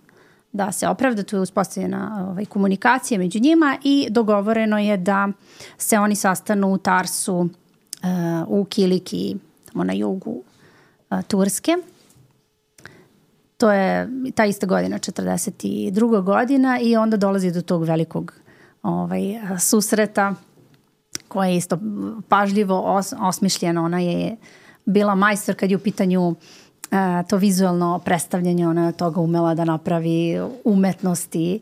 da se opravda. Tu je uspostavljena ovaj, komunikacija među njima i dogovoreno je da se oni sastanu u Tarsu, u Kiliki, na jugu a, Turske. to je ta ista godina, četrdeset druga godina, i onda dolazi do tog velikog ovaj, susreta koje je isto pažljivo os, osmišljeno. Ona je bila majstor kad je u pitanju a, to vizualno predstavljanje, ona je toga umela da napravi umetnosti,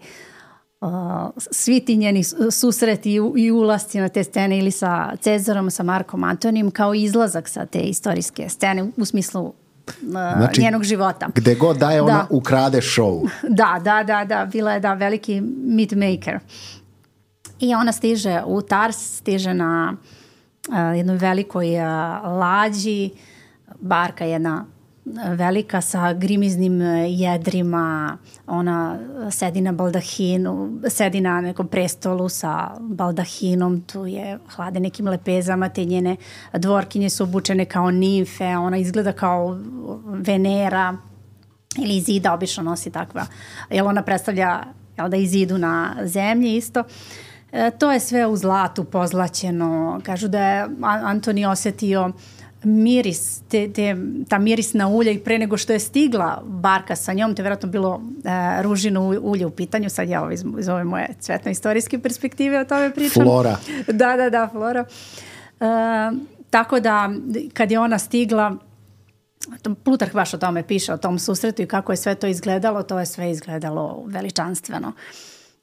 a, svi ti njeni susreti i, i ulasci na te scene ili sa Cezarom, sa Markom Antonijom, kao izlazak sa te istorijske scene u smislu znači, njenog života. Gde god daje ona da. ukrade show. Da, da, da, da, bila je da veliki myth maker. I ona stiže u Tars, stiže na uh, jednoj velikoj uh, lađi, barka jedna velika sa grimiznim jedrima, ona sedi na baldahinu, sedi na nekom prestolu sa baldahinom, tu je hlade nekim lepezama, te njene dvorkinje su obučene kao nimfe, ona izgleda kao Venera, ili Izida obično nosi takva, jer ona predstavlja, jel da, Izidu na zemlji isto. E, to je sve u zlatu pozlaćeno, kažu da je Antoni osetio miris, te, te, ta mirisna ulja i pre nego što je stigla barka sa njom, to je vjerojatno bilo e, ružino ulje u pitanju, sad ja ovo iz, iz ove moje cvetno-istorijske perspektive o tome pričam. Flora. Da, da, da, Flora. E, tako da, kad je ona stigla, Plutarh baš o tome piše, o tom susretu i kako je sve to izgledalo, to je sve izgledalo veličanstveno.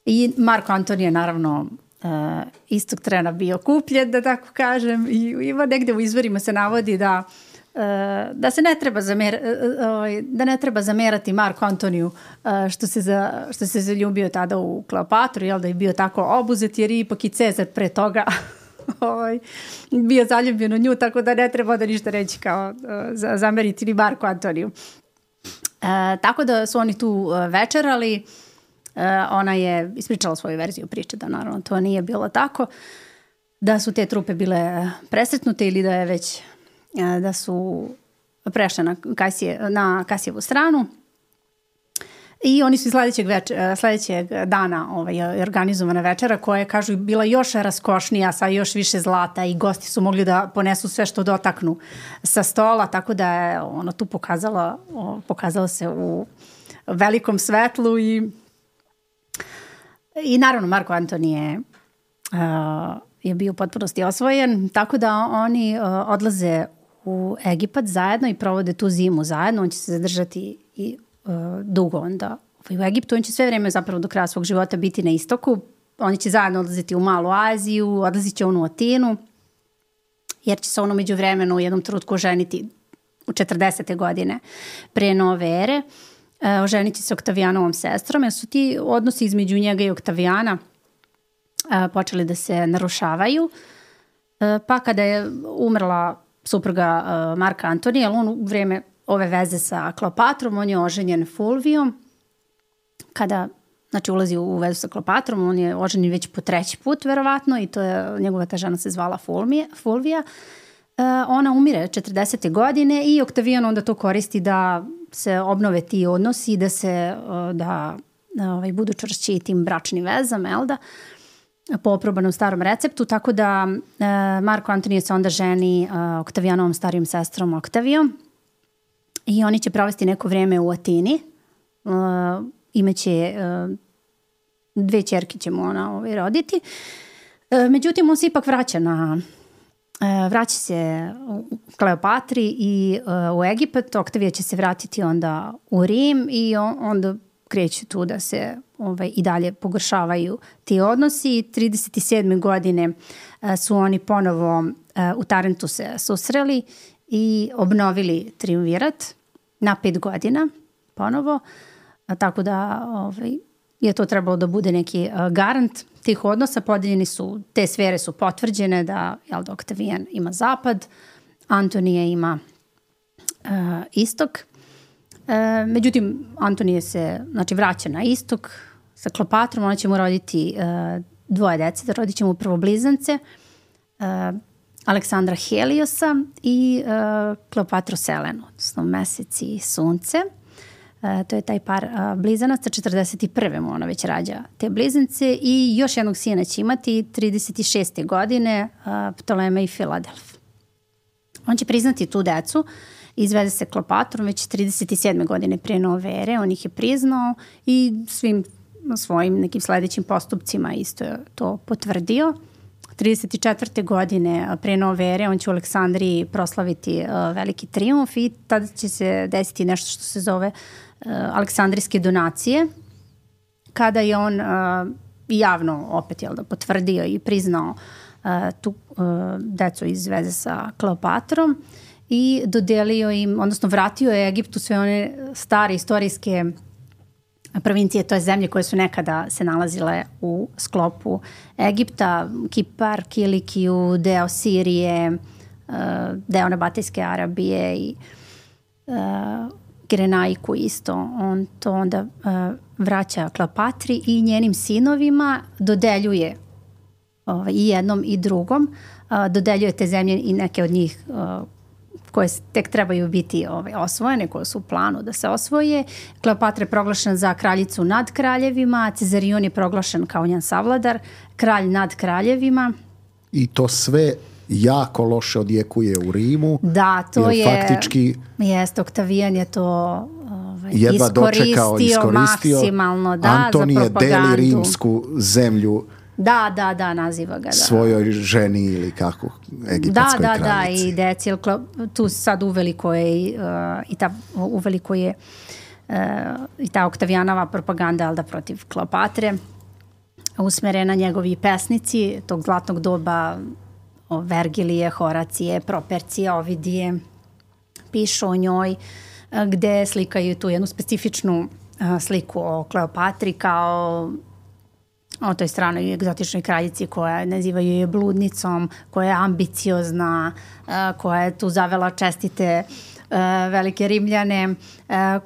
I Marko Antonije, naravno, Uh, istog trena bio kupljen, da tako kažem, i ima negde u izvorima se navodi da uh, da se ne treba zamer, uh, da ne treba zamerati Marku Antoniju uh, što se za, što se zaljubio tada u Kleopatru, jel da je bio tako obuzet, jer ipak i Cezar pre toga ovaj, bio zaljubljen u nju, tako da ne treba da ništa reći kao uh, zameriti ni Marku Antoniju. Uh, tako da su oni tu uh, večerali. Uh, ona je ispričala svoju verziju priče, da naravno to nije bilo tako, da su te trupe bile presretnute ili da je već uh, da su prešle na, Kasije, na Kasijevu stranu, i oni su sledećeg, več, sledećeg dana ovaj, organizovana večera koja je, kažu, bila još raskošnija, sa još više zlata, i gosti su mogli da ponesu sve što dotaknu sa stola, tako da je ono tu pokazala, pokazala se u velikom svetlu. i I naravno Marko Antonije uh, je bio u potpunosti osvojen, tako da oni uh, odlaze u Egipat zajedno i provode tu zimu zajedno. On će se zadržati i uh, dugo onda u Egiptu. On će sve vreme zapravo do kraja svog života biti na istoku. Oni će zajedno odlaziti u Malu Aziju, odlazit će on u Atinu, jer će se on umeđu vremenu u jednom trenutku oženiti u četrdesete godine pre nove ere. Oženit će se Oktavijanovom sestrom, jer su ti odnosi između njega i Oktavijana počeli da se narušavaju. Pa kada je umrla supruga Marka Antonija, on u vreme ove veze sa Kleopatrom, on je oženjen Fulvijom. Kada, znači, ulazi u vezu sa Kleopatrom, on je oženjen već po treći put, verovatno, i to je, njegova ta žena se zvala Fulmije, Fulvija. Ona umire četrdesete godine i Oktavijan onda to koristi da se obnove ti odnosi, da se da, da ovaj, budu čvršći tim bračnim vezama, jel da, po oprobanom starom receptu, tako da e, Marko Antonije se onda ženi e, Oktavijanovom starijom sestrom Oktavijom, i oni će provesti neko vreme u Atini. E, imaće e, dve ćerke će mu ona ovaj, roditi. E, međutim, on se ipak vraća na vraća se u Kleopatri i uh, u Egipat. Oktavija će se vratiti onda u Rim i on, onda kreću tu da se ovaj, i dalje pogoršavaju ti odnosi. trideset sedme godine uh, su oni ponovo uh, u Tarentu se susreli i obnovili triumvirat na pet godina ponovo. Uh, tako da ovaj, je to trebalo da bude neki uh, garant tih odnosa. Podeljeni su, te sfere su potvrđene da, jel, da Oktavijan ima zapad, Antonije ima uh, istok. Uh, međutim, Antonije se, znači, vraća na istok sa Kleopatrom, ona će mu roditi uh, dvoje dece, da rodit će mu prvo blizance, uh, Aleksandra Heliosa i uh, Kleopatru Selenu, odnosno mesec i sunce. Uh, to je taj par uh, blizanaca. četrdeset prve mu ona već rađa te blizance i još jednog sina će imati trideset šeste godine, uh, Ptolema i Filadelf. On će priznati tu decu izveze se Kleopatrom već trideset sedme godine pre nove ere, on ih je priznao i svim svojim nekim sledećim postupcima isto je to potvrdio. trideset četvrte godine pre nove ere on će u Aleksandriji proslaviti uh, veliki trijumf i tada će se desiti nešto što se zove uh, Aleksandrijske donacije, kada je on uh, javno opet jel da, potvrdio i priznao uh, tu uh, decu iz veze sa Kleopatrom i dodelio im, odnosno vratio je Egiptu sve one stare istorijske provincije, to je zemlje koje su nekada se nalazile u sklopu Egipta, Kipar, Kilikiju, deo Sirije, deo Nabatejske Arabije i Kirenaiku isto. On to onda vraća Kleopatri i njenim sinovima dodeljuje i jednom i drugom, dodeljuje te zemlje i neke od njih koje tek trebaju biti ovaj, osvojene, koje su u planu da se osvoje. Kleopatra je proglašena za kraljicu nad kraljevima, Cezarion je proglašen kao njen savladar, kralj nad kraljevima. I to sve jako loše odjekuje u Rimu. Da, to je... Faktički... Jeste, Oktavijan je to ovaj, jedva iskoristio, dočekao, iskoristio. Maksimalno, da, Antonije za propagandu. deli rimsku zemlju Da, da, da, naziva ga. Da. Svojoj ženi ili kako, egipatskoj da, da, kraljici. Da, i deci, tu sad uveliko je uh, i ta uveliko je uh, i ta Oktavijanova propaganda, ali da protiv Kleopatre, usmerena njegovi pesnici tog zlatnog doba, o Vergilije, Horacije, Propercije, Ovidije, pišu o njoj, uh, gde slikaju tu jednu specifičnu uh, sliku o Kleopatri kao o toj stranoj egzotičnoj kraljici koja nazivaju je bludnicom, koja je ambiciozna, koja je tu zavela čestite velike Rimljane,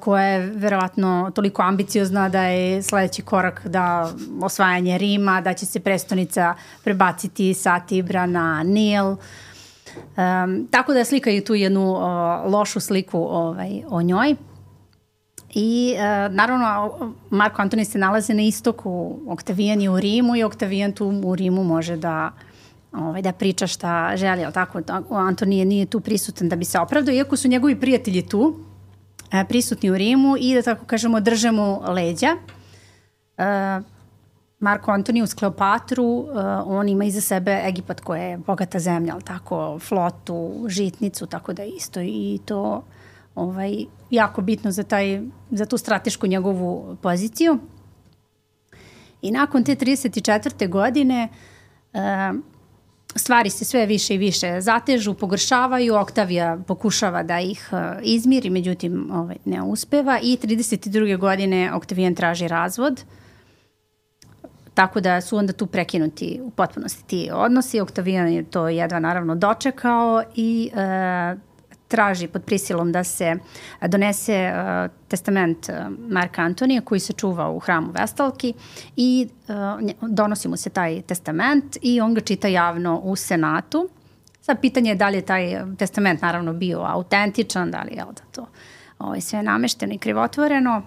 koja je verovatno toliko ambiciozna da je sledeći korak da osvajanje Rima, da će se prestonica prebaciti sa Tibra na Nil. Um, tako da slikaju tu jednu uh, lošu sliku ovaj, o njoj. I uh, naravno Marko Antonije se nalaze na istoku, Oktavijan je u Rimu i Oktavijan tu u Rimu može da, ovaj, da priča šta želi, ali tako Antonije nije tu prisutan da bi se opravdao, iako su njegovi prijatelji tu uh, prisutni u Rimu i da tako kažemo drže mu leđa. Uh, Marko Antonije uz Kleopatru, uh, on ima iza sebe Egipat koja je bogata zemlja, ali tako flotu, žitnicu, tako da isto i to ovaj, jako bitno za, taj, za tu stratešku njegovu poziciju. I nakon te trideset četvrte godine uh, stvari se sve više i više zatežu, pogoršavaju, Oktavija pokušava da ih uh, izmiri, međutim ovaj, ne uspeva i trideset druge godine Oktavijan traži razvod, tako da su onda tu prekinuti u potpunosti ti odnosi. Oktavijan je to jedva naravno dočekao i uh, traži pod prisilom da se donese uh, testament uh, Marka Antonija koji se čuva u hramu Vestalki i uh, donosi mu se taj testament i on ga čita javno u Senatu. Sad pitanje je da li je taj testament naravno bio autentičan, da li je da to ovaj, sve namešteno i krivotvoreno,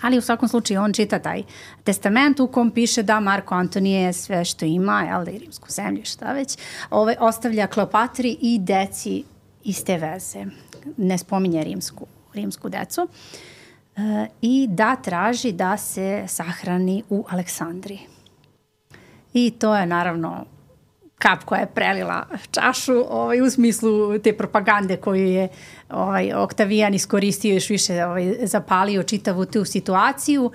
ali u svakom slučaju on čita taj testament u kom piše da Marko Antonije sve što ima, jel da i rimsku zemlju, šta već, ovaj, ostavlja Kleopatri i deci iz te veze, ne spominje rimsku, rimsku decu, e, i da traži da se sahrani u Aleksandriji. I to je naravno kap koja je prelila čašu ovaj, u smislu te propagande koju je ovaj, Oktavijan iskoristio još više ovaj, zapalio čitavu tu situaciju.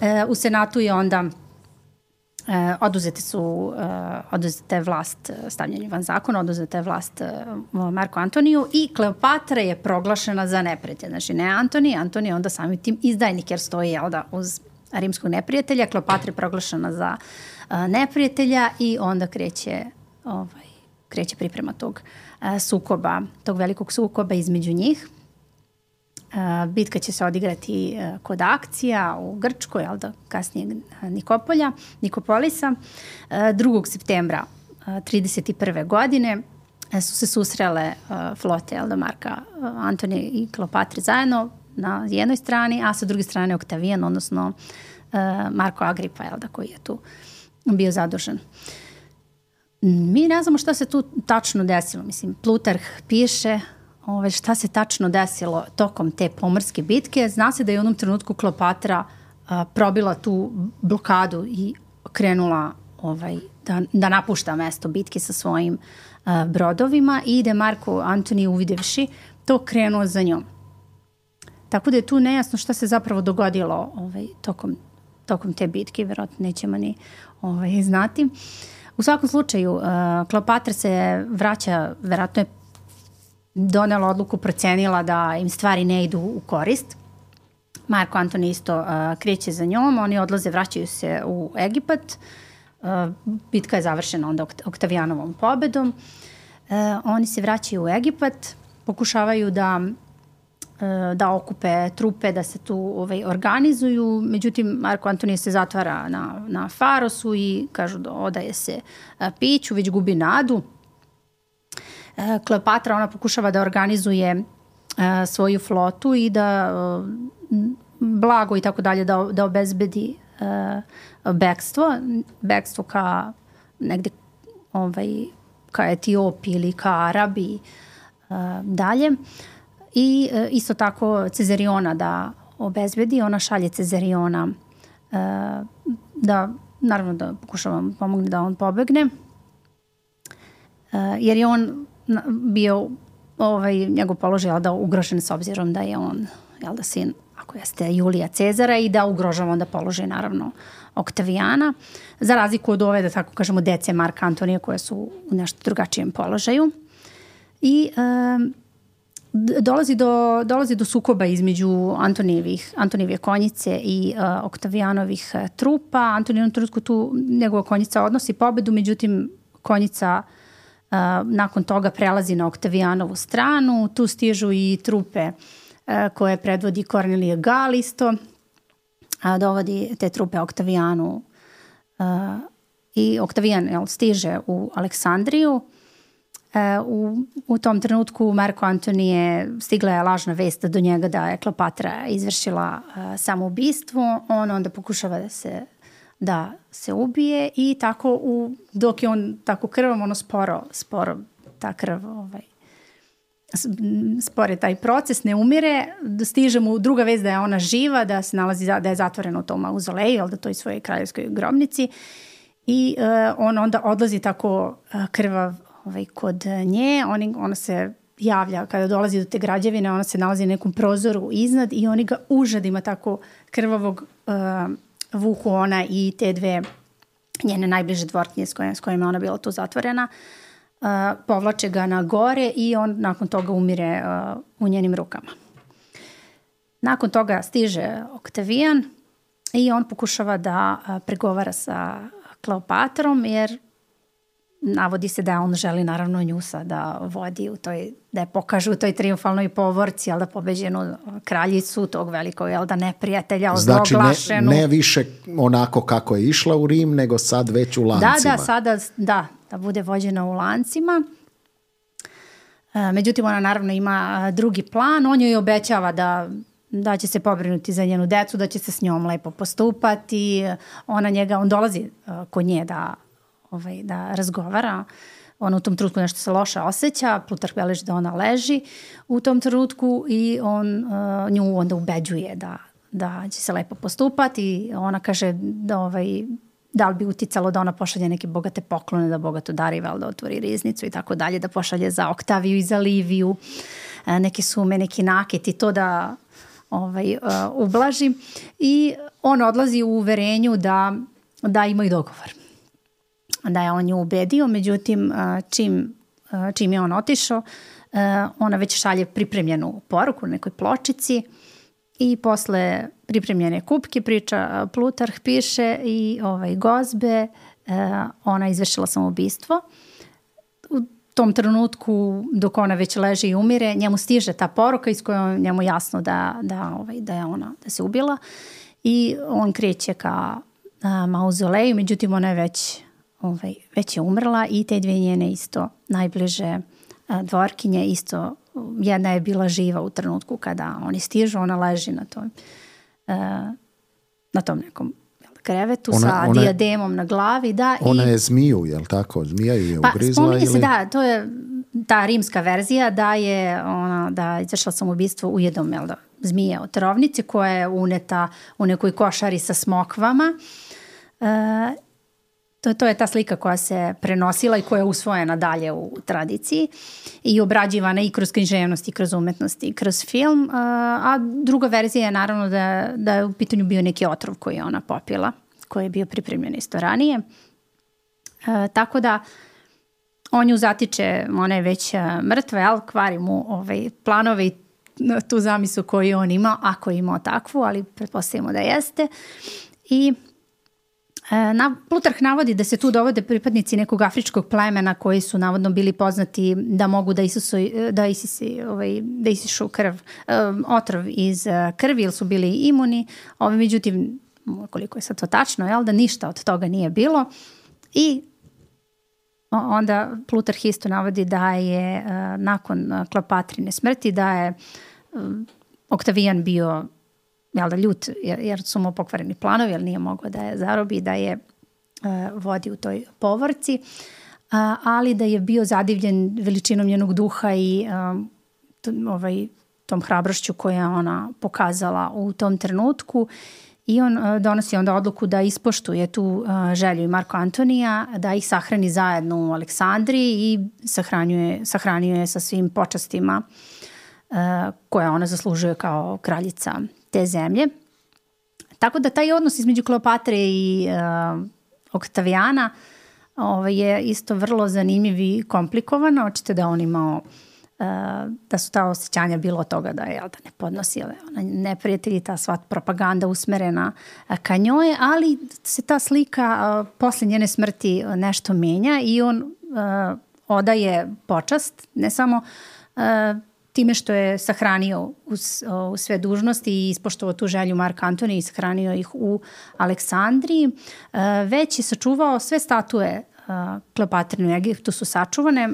E, u Senatu je onda Uh, oduzete su, uh, oduzete je vlast stavljanje van zakona, oduzete je vlast uh, Marko Antoniju i Kleopatra je proglašena za neprijatelja. Znači ne Antonije, Antonije onda samim tim izdajnik jer stoji jel da, uz rimskog neprijatelja. Kleopatra je proglašena za uh, neprijatelja i onda kreće, ovaj, kreće priprema tog uh, sukoba, tog velikog sukoba između njih. Uh, bitka će se odigrati uh, kod Akcija u Grčkoj, ali da kasnije Nikopolja, Nikopolisa. Uh, drugog septembra uh, trideset prve godine uh, su se susrele uh, flote jel da, Marka uh, Antonije i Kleopatre zajedno na jednoj strani, a sa druge strane Oktavijan, odnosno uh, Marko Agripa, jel da, koji je tu bio zadužen. Mi ne znamo šta se tu tačno desilo. Mislim, Plutarh piše ove, šta se tačno desilo tokom te pomorske bitke. Zna se da je u jednom trenutku Kleopatra a, probila tu blokadu i krenula ovaj, da, da napušta mesto bitke sa svojim a, brodovima i da je Marko Antoni uvidevši to krenuo za njom. Tako da je tu nejasno šta se zapravo dogodilo ovaj, tokom, tokom te bitke, verovatno nećemo ni ovaj, znati. U svakom slučaju, uh, Kleopatra se vraća, verovatno je donela odluku, procenila da im stvari ne idu u korist. Marko Antoni isto uh, kreće za njom, oni odlaze, vraćaju se u Egipat. Uh, bitka je završena onda Oktavijanovom pobedom. Uh, oni se vraćaju u Egipat, pokušavaju da da okupe trupe, da se tu ovaj, organizuju. Međutim, Marko Antonije se zatvara na, na Farosu i kažu da odaje se a, piću, već gubi nadu. A, Kleopatra, ona pokušava da organizuje a, svoju flotu i da a, blago i tako dalje da, da obezbedi a, bekstvo. Bekstvo ka negde ovaj, ka Etiopiji ili ka Arabiji a, dalje. I e, isto tako Cezariona da obezbedi, ona šalje Cezariona e, da, naravno da pokušavam pomogne da on pobegne, e, jer je on bio, ovaj, njegov položaj jel da ugrožen s obzirom da je on, jel da sin, ako jeste Julija Cezara i da ugrožava onda položaj naravno Oktavijana, za razliku od ove, da tako kažemo, dece Marka Antonija koje su u nešto drugačijem položaju. I e, Dolazi do, dolazi do sukoba između Antonijevih, Antonijeve konjice i uh, Oktavijanovih uh, trupa. Antonijevom trenutku tu njegova konjica odnosi pobedu, međutim konjica uh, nakon toga prelazi na Oktavijanovu stranu. Tu stižu i trupe uh, koje predvodi Kornelije Gal isto. Uh, dovodi te trupe Oktavijanu uh, i Oktavijan jel, stiže u Aleksandriju. U, u tom trenutku Marko Antonije stigla je lažna vest do njega da je Kleopatra izvršila uh, samoubistvo. On onda pokušava da se, da se ubije i tako u, dok je on tako krvom, ono sporo, sporo ta krv, ovaj, spore taj proces, ne umire. Stiže mu druga vest da je ona živa, da se nalazi, da je zatvorena u tom mauzoleju, ali da to je svojoj kraljevskoj grobnici. I uh, on onda odlazi tako uh, krvav ovaj, kod nje, oni, ona se javlja kada dolazi do te građevine, ona se nalazi na nekom prozoru iznad i oni ga užadima tako krvavog uh, vuku ona i te dve njene najbliže dvorkinje s kojima, s kojima ona bila tu zatvorena, uh, povlače ga na gore i on nakon toga umire uh, u njenim rukama. Nakon toga stiže Oktavijan i on pokušava da uh, pregovara sa Kleopatrom, jer navodi se da on želi naravno nju da vodi u toj, da je pokaže u toj triumfalnoj povorci, jel da pobeđenu kraljicu tog velikog, jel da neprijatelja, ozloglašenu. Znači ne, ne više onako kako je išla u Rim, nego sad već u lancima. Da, da, sada, da, da bude vođena u lancima. E, međutim, ona naravno ima drugi plan, on joj obećava da da će se pobrinuti za njenu decu, da će se s njom lepo postupati. Ona njega, on dolazi uh, kod nje da Ovaj, da razgovara. Ona u tom trenutku nešto se loše osjeća, Plutarh beleži da ona leži u tom trenutku i on uh, nju onda ubeđuje da, da će se lepo postupati. Ona kaže da, ovaj, da li bi uticalo da ona pošalje neke bogate poklone, da bogato dari, vel, da otvori riznicu i tako dalje, da pošalje za Oktaviju i za Liviju uh, neke sume, neki naket i to da ovaj, uh, ublaži. I on odlazi u uverenju da, da imaju dogovor. Da je on nju ubedio, međutim čim, čim je on otišao, ona već šalje pripremljenu poruku u nekoj pločici i posle pripremljene kupke priča Plutarh piše i ovaj, gozbe, ona izvršila samoubistvo. U tom trenutku dok ona već leži i umire, njemu stiže ta poruka iz koje njemu jasno da, da, ovaj, da je ona da se ubila i on kreće ka mauzoleju, međutim ona je već Ovaj, već je umrla i te dvije njene isto najbliže a, dvorkinje isto, jedna je bila živa u trenutku kada oni stižu, ona leži na tom, a, na tom nekom krevetu Ona- sa ona je- dijademom na glavi. Da, Ona i, je zmiju, je li tako? Zmija ju je pa ugrizla spominje se, ili... da, to je ta rimska verzija da je ona, da je izvršila samoubistvo ujedom, jel da, zmije od trovnice koja je uneta u nekoj košari sa smokvama. E, to, to je ta slika koja se prenosila i koja je usvojena dalje u tradiciji i obrađivana i kroz književnost i kroz umetnost i kroz film. A, a druga verzija je naravno da, da je u pitanju bio neki otrov koji je ona popila, koji je bio pripremljen isto ranije. E, tako da on ju zatiče, ona je već mrtva, jel, kvari mu ovaj, planove i tu zamislu koju on ima, ako je imao takvu, ali pretpostavimo da jeste. I e, na, Plutarh navodi da se tu dovode pripadnici nekog afričkog plemena koji su navodno bili poznati da mogu da, isusu, da, isisi, ovaj, da isišu krv, um, otrov iz krvi, ili su bili imuni. Ovi, međutim, koliko je sad to tačno, jel, da ništa od toga nije bilo. I onda Plutarh isto navodi da je uh, nakon uh, Kleopatrine smrti da je um, Oktavijan bio, jel da, ljut jer, jer su mu pokvareni planovi, jer nije mogao da je zarobi, da je uh, vodi u toj povorci, uh, ali da je bio zadivljen veličinom njenog duha i um, t, ovaj, tom hrabrošću koju je ona pokazala u tom trenutku. I on uh, donosi onda odluku da ispoštuje tu uh, želju i Marko Antonija, da ih sahrani zajedno u Aleksandriji i sahranjuje, sahranjuje je sa svim počastima uh, koje ona zaslužuje kao kraljica te zemlje. Tako da taj odnos između Kleopatre i uh, Oktavijana ovaj, je isto vrlo zanimljiv i komplikovan. Očito da on imao Uh, da su ta osjećanja bilo od toga da je, jel, da ne podnosi ona neprijatelji, ta sva propaganda usmerena uh, ka njoj, ali se ta slika uh, posle njene smrti uh, nešto menja i on uh, odaje počast ne samo uh, time što je sahranio uz, uh, uz sve dužnosti i ispoštovao tu želju Mark Antonija i sahranio ih u Aleksandriji, uh, već je sačuvao sve statue Kleopatrine u Egiptu su sačuvane,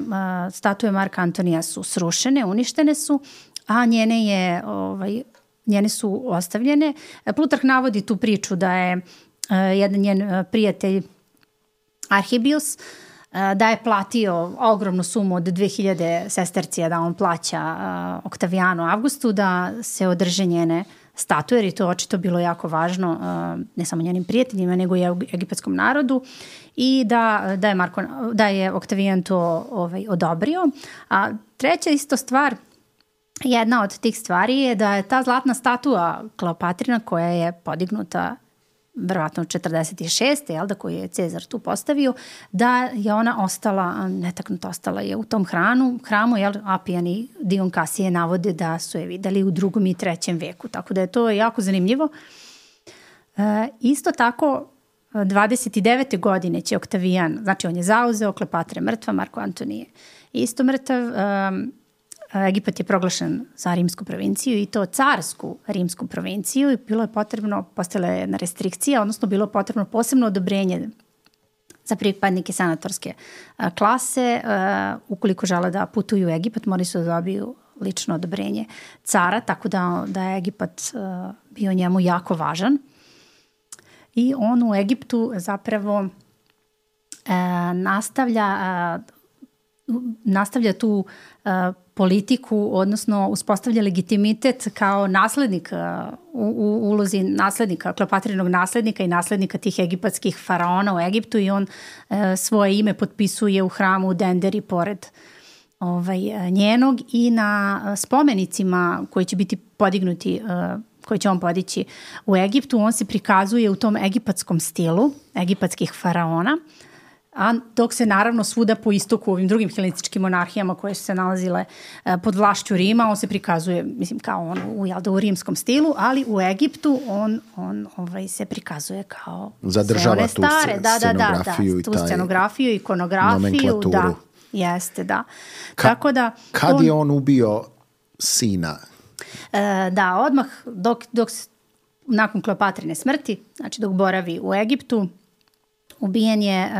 statue Marka Antonija su srušene, uništene su, a njene, je, ovaj, njene su ostavljene. Plutarh navodi tu priču da je jedan njen prijatelj Arhibius da je platio ogromnu sumu od dve hiljade sestercija da on plaća Oktavijanu Avgustu da se održe njene statue, jer je to očito bilo jako važno ne samo njenim prijateljima, nego i egipatskom narodu, i da, da, je, Marko, da je Oktavijan to ovaj, odobrio. A treća isto stvar, jedna od tih stvari je da je ta zlatna statua Kleopatrina koja je podignuta verovatno četrdeset šeste jel da, koju je Cezar tu postavio, da je ona ostala, netaknuta ostala je u tom hranu, hramu, jel, Apijan i Dion Kasije navode da su je videli u drugom i trećem veku, tako da je to jako zanimljivo. E, isto tako, dvadeset devete godine će Oktavijan, znači on je zauzeo, Kleopatra je mrtva, Marko Antonije isto mrtav, um, Egipat je proglašen za rimsku provinciju i to carsku rimsku provinciju i bilo je potrebno, postala je jedna restrikcija, odnosno bilo je potrebno posebno odobrenje za pripadnike senatorske a, klase. A, ukoliko žele da putuju u Egipat, morali su da dobiju lično odobrenje cara, tako da, da je Egipat a, bio njemu jako važan. I on u Egiptu zapravo a, nastavlja, a, nastavlja tu a, politiku, odnosno uspostavlja legitimitet kao naslednik u, u ulozi naslednika, Kleopatrinog naslednika i naslednika tih egipatskih faraona u Egiptu i on e, svoje ime potpisuje u hramu u Denderi pored ovaj, njenog i na spomenicima koji će biti podignuti, e, koji će on podići u Egiptu, on se prikazuje u tom egipatskom stilu, egipatskih faraona, a dok se naravno svuda po istoku u ovim drugim helenističkim monarhijama koje su se nalazile pod vlašću Rima, on se prikazuje, mislim, kao on u, jel da, u rimskom stilu, ali u Egiptu on, on ovaj, se prikazuje kao zadržava tu stare, da, da, da, da, i tu scenografiju, ikonografiju, nomenklaturu. Da, jeste, da. Ka, Tako da kad on, je on ubio sina? E, da, odmah dok, dok nakon Kleopatrine smrti, znači dok boravi u Egiptu, ubijen je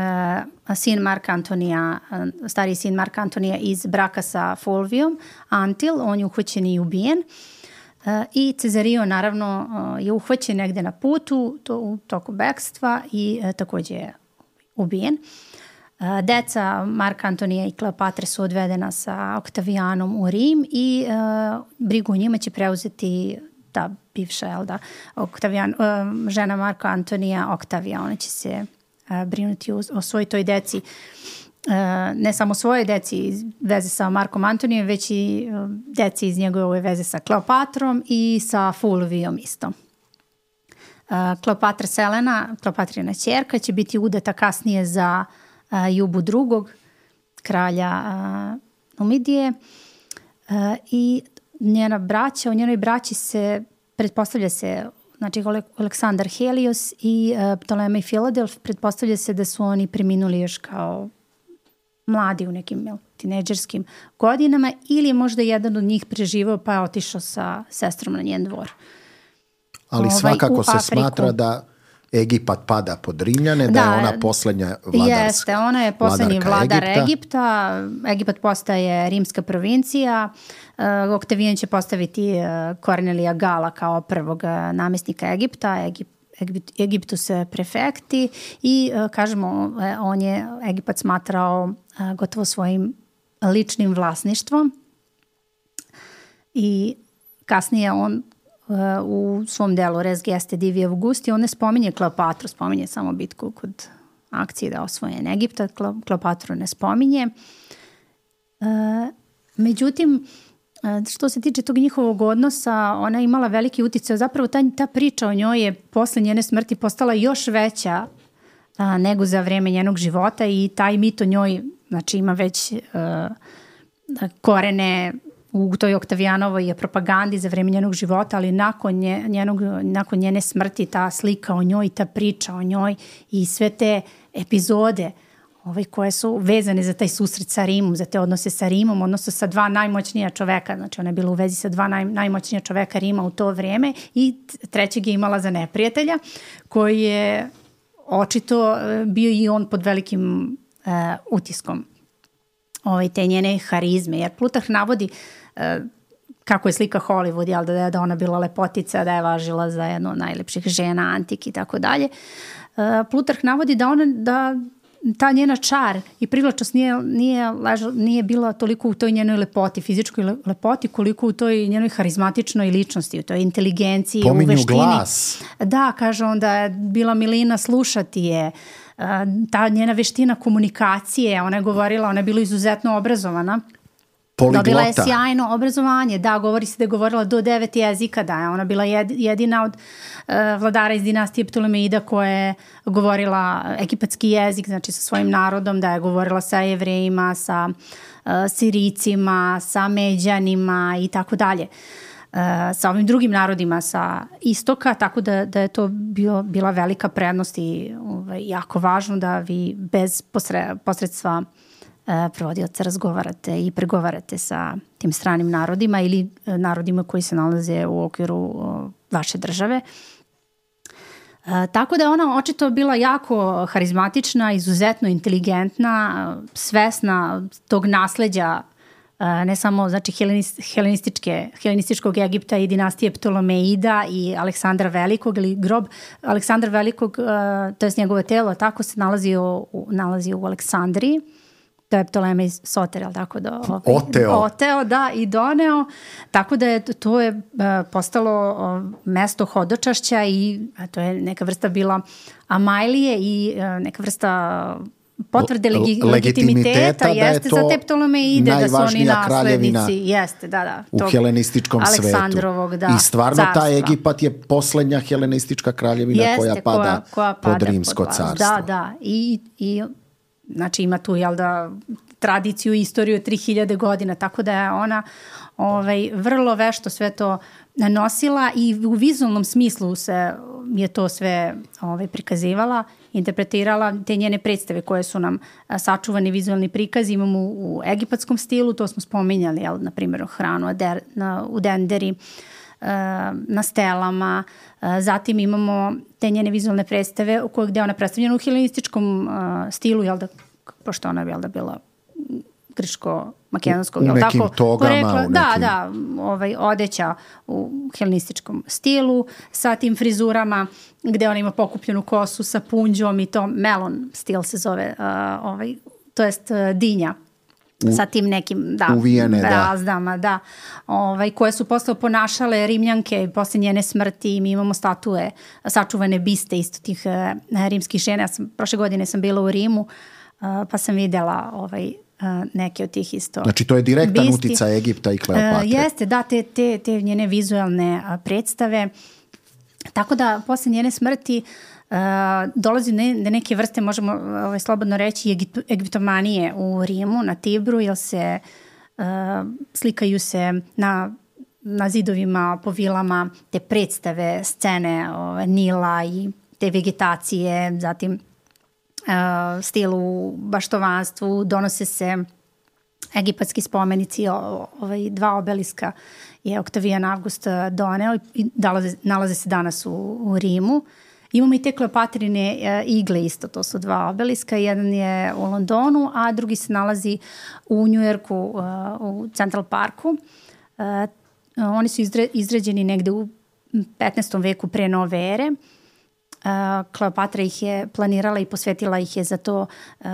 uh, sin Marka Antonija, uh, stariji sin Marka Antonija iz braka sa Fulvijom, Antil, on je uhvaćen i ubijen. I Cezario naravno je uhvaćen negde na putu to, u toku bekstva i takođe je ubijen. Deca Marka Antonija i Kleopatre su odvedena sa Oktavijanom u Rim i uh, brigu o njima će preuzeti ta bivša, jel da, Oktavijan, uh, žena Marka Antonija, Oktavija. Ona će se uh, brinuti o, o svoj toj deci. Uh, ne samo svoje deci iz veze sa Markom Antonijem, već i uh, deci iz njegove veze sa Kleopatrom i sa Fulvijom isto. Uh, Kleopatra Selena, Kleopatrina ćerka, će biti udata kasnije za uh, Jubu drugog, kralja uh, Numidije, uh, i njena braća, u njenoj braći se pretpostavlja se, znači Aleksandar Helios i uh, Ptolemej Filadelf, pretpostavlja se da su oni preminuli još kao mladi u nekim jel, tinejdžerskim godinama, ili je možda jedan od njih preživao pa je otišao sa sestrom na njen dvor. Ali ovaj, svakako se Afriku smatra da Egipat pada pod Rimljane, da, da je ona poslednja vladarska. Jeste, ona je poslednji vladar Egipta. Egipta. Egipat postaje rimska provincija. Uh, Oktavijan će postaviti uh, Kornelija Gala kao prvog uh, namestnika Egipta. Egip, Egipt, Egiptus prefekti i uh, kažemo, on je Egipat smatrao uh, gotovo svojim ličnim vlasništvom. I kasnije on Uh, u svom delu Res Geste Divi Augusti, on ne spominje Kleopatru, spominje samo bitku kod akcije da osvojen Egipta, Kleopatru ne spominje. Uh, međutim, uh, što se tiče tog njihovog odnosa, ona je imala veliki uticaj. Zapravo ta, ta priča o njoj je posle njene smrti postala još veća uh, nego za vreme njenog života i taj mit o njoj, znači, ima već uh, korene u toj Oktavijanovoj propagandi za vreme njenog života, ali nakon, nje, njenog, nakon njene smrti ta slika o njoj, ta priča o njoj i sve te epizode ovaj, koje su vezane za taj susret sa Rimom, za te odnose sa Rimom, odnosno sa dva najmoćnija čoveka, znači ona je bila u vezi sa dva naj, najmoćnija čoveka Rima u to vrijeme i trećeg je imala za neprijatelja koji je očito bio i on pod velikim uh, utiskom ovaj, te njene harizme, jer Plutarh navodi uh, kako je slika Hollywood, jel, da je da ona bila lepotica, da je važila za jednu od najlepših žena antike i tako dalje. Plutarh navodi da ona, da ta njena čar i privlačnost nije, nije, leža, nije bila toliko u toj njenoj lepoti, fizičkoj lepoti, koliko u toj njenoj harizmatičnoj ličnosti, u toj inteligenciji, pominju u veštini. Glas. Da, kaže on da je bila milina slušati je, ta njena veština komunikacije, ona je govorila, ona je bila izuzetno obrazovana. Poliglota. Dobila je sjajno obrazovanje, da, govori se da je govorila do devet jezika, da je ona bila jedina od uh, vladara iz dinastije Ptolemeida koja je govorila egipatski jezik, znači sa svojim narodom, da je govorila sa Jevrejima, sa uh, Sirijcima, sa Međanima i tako dalje. Uh, sa ovim drugim narodima sa istoka, tako da, da je to bio, bila velika prednost i ovaj, jako važno da vi bez posre, posredstva provodioca razgovarate i pregovarate sa tim stranim narodima ili narodima koji se nalaze u okviru vaše države. E, tako da je ona očito bila jako harizmatična, izuzetno inteligentna, svesna tog nasleđa e, ne samo znači helenističke, helenističkog Egipta i dinastije Ptolemeida i Aleksandra Velikog, ili grob Aleksandra Velikog, e, to je njegovo telo, tako se nalazi u, nalazi u Aleksandriji. To je Ptolemej Soter, jel tako? Do, ovaj, oteo. Oteo, da, i doneo. Tako da je to je uh, postalo uh, mesto hodočašća i uh, to je neka vrsta bila Amajlije i uh, neka vrsta potvrde legi, legitimiteta, legitimiteta jeste za te Ptolemeide, da su oni naslednici. Jeste, da, da. U helenističkom Aleksandrovog, svetu. Da, I stvarno carstva. Taj Egipat je poslednja helenistička kraljevina jeste, koja pada, koja, koja pada pod Rimsko pod carstvo. Da, da. I, i znači ima tu, jel da, tradiciju i istoriju tri hiljade godina, tako da je ona ovaj, vrlo vešto sve to nanosila i u vizualnom smislu se je to sve ovaj, prikazivala, interpretirala, te njene predstave koje su nam sačuvani vizualni prikazi imamo u, u egipatskom stilu, to smo spominjali, jel, na primjer hranu Ader, na, u Denderi, na stelama, zatim imamo te njene vizualne predstave u kojoj gde ona predstavljena u helenističkom uh, stilu, jel da, pošto ona je jel da bila U grčko-makedonskog, nekim tako, togama, porekla, u nekim... da, da, ovaj, odeća u helenističkom stilu, sa tim frizurama, gde ona ima pokupljenu kosu sa punđom i to melon stil se zove, uh, ovaj, to jest uh, dinja. U, sa tim nekim da, uvijene, razdama, da. da ovaj, koje su posle ponašale Rimljanke posle njene smrti. Mi imamo statue, sačuvane biste isto tih uh, rimskih žena. Ja sam, prošle godine sam bila u Rimu, uh, pa sam videla ovaj, uh, neke od tih isto. Znači to je direktan bisti. Uticaj Egipta i Kleopatre. Uh, jeste, da, te, te, te njene vizualne uh, predstave. Tako da posle njene smrti Uh, dolazi ne, ne neke vrste, možemo ovaj, slobodno reći, egip, egiptomanije u Rimu, na Tibru, jer se uh, slikaju se na, na zidovima, po vilama, te predstave, scene ovaj, Nila i te vegetacije, zatim uh, stil u baštovanstvu, donose se egipatski spomenici, ovaj, dva obeliska je Oktavijan Avgust doneo i nalaze, nalaze se danas u, u Rimu. Imamo i te Kleopatrine uh, igle isto, to su dva obeliska, jedan je u Londonu, a drugi se nalazi u Njujorku, uh, u Central Parku. Uh, oni su izre, izrađeni negde u petnaestom veku pre nove ere. Uh, Kleopatra ih je planirala i posvetila ih je za to, uh,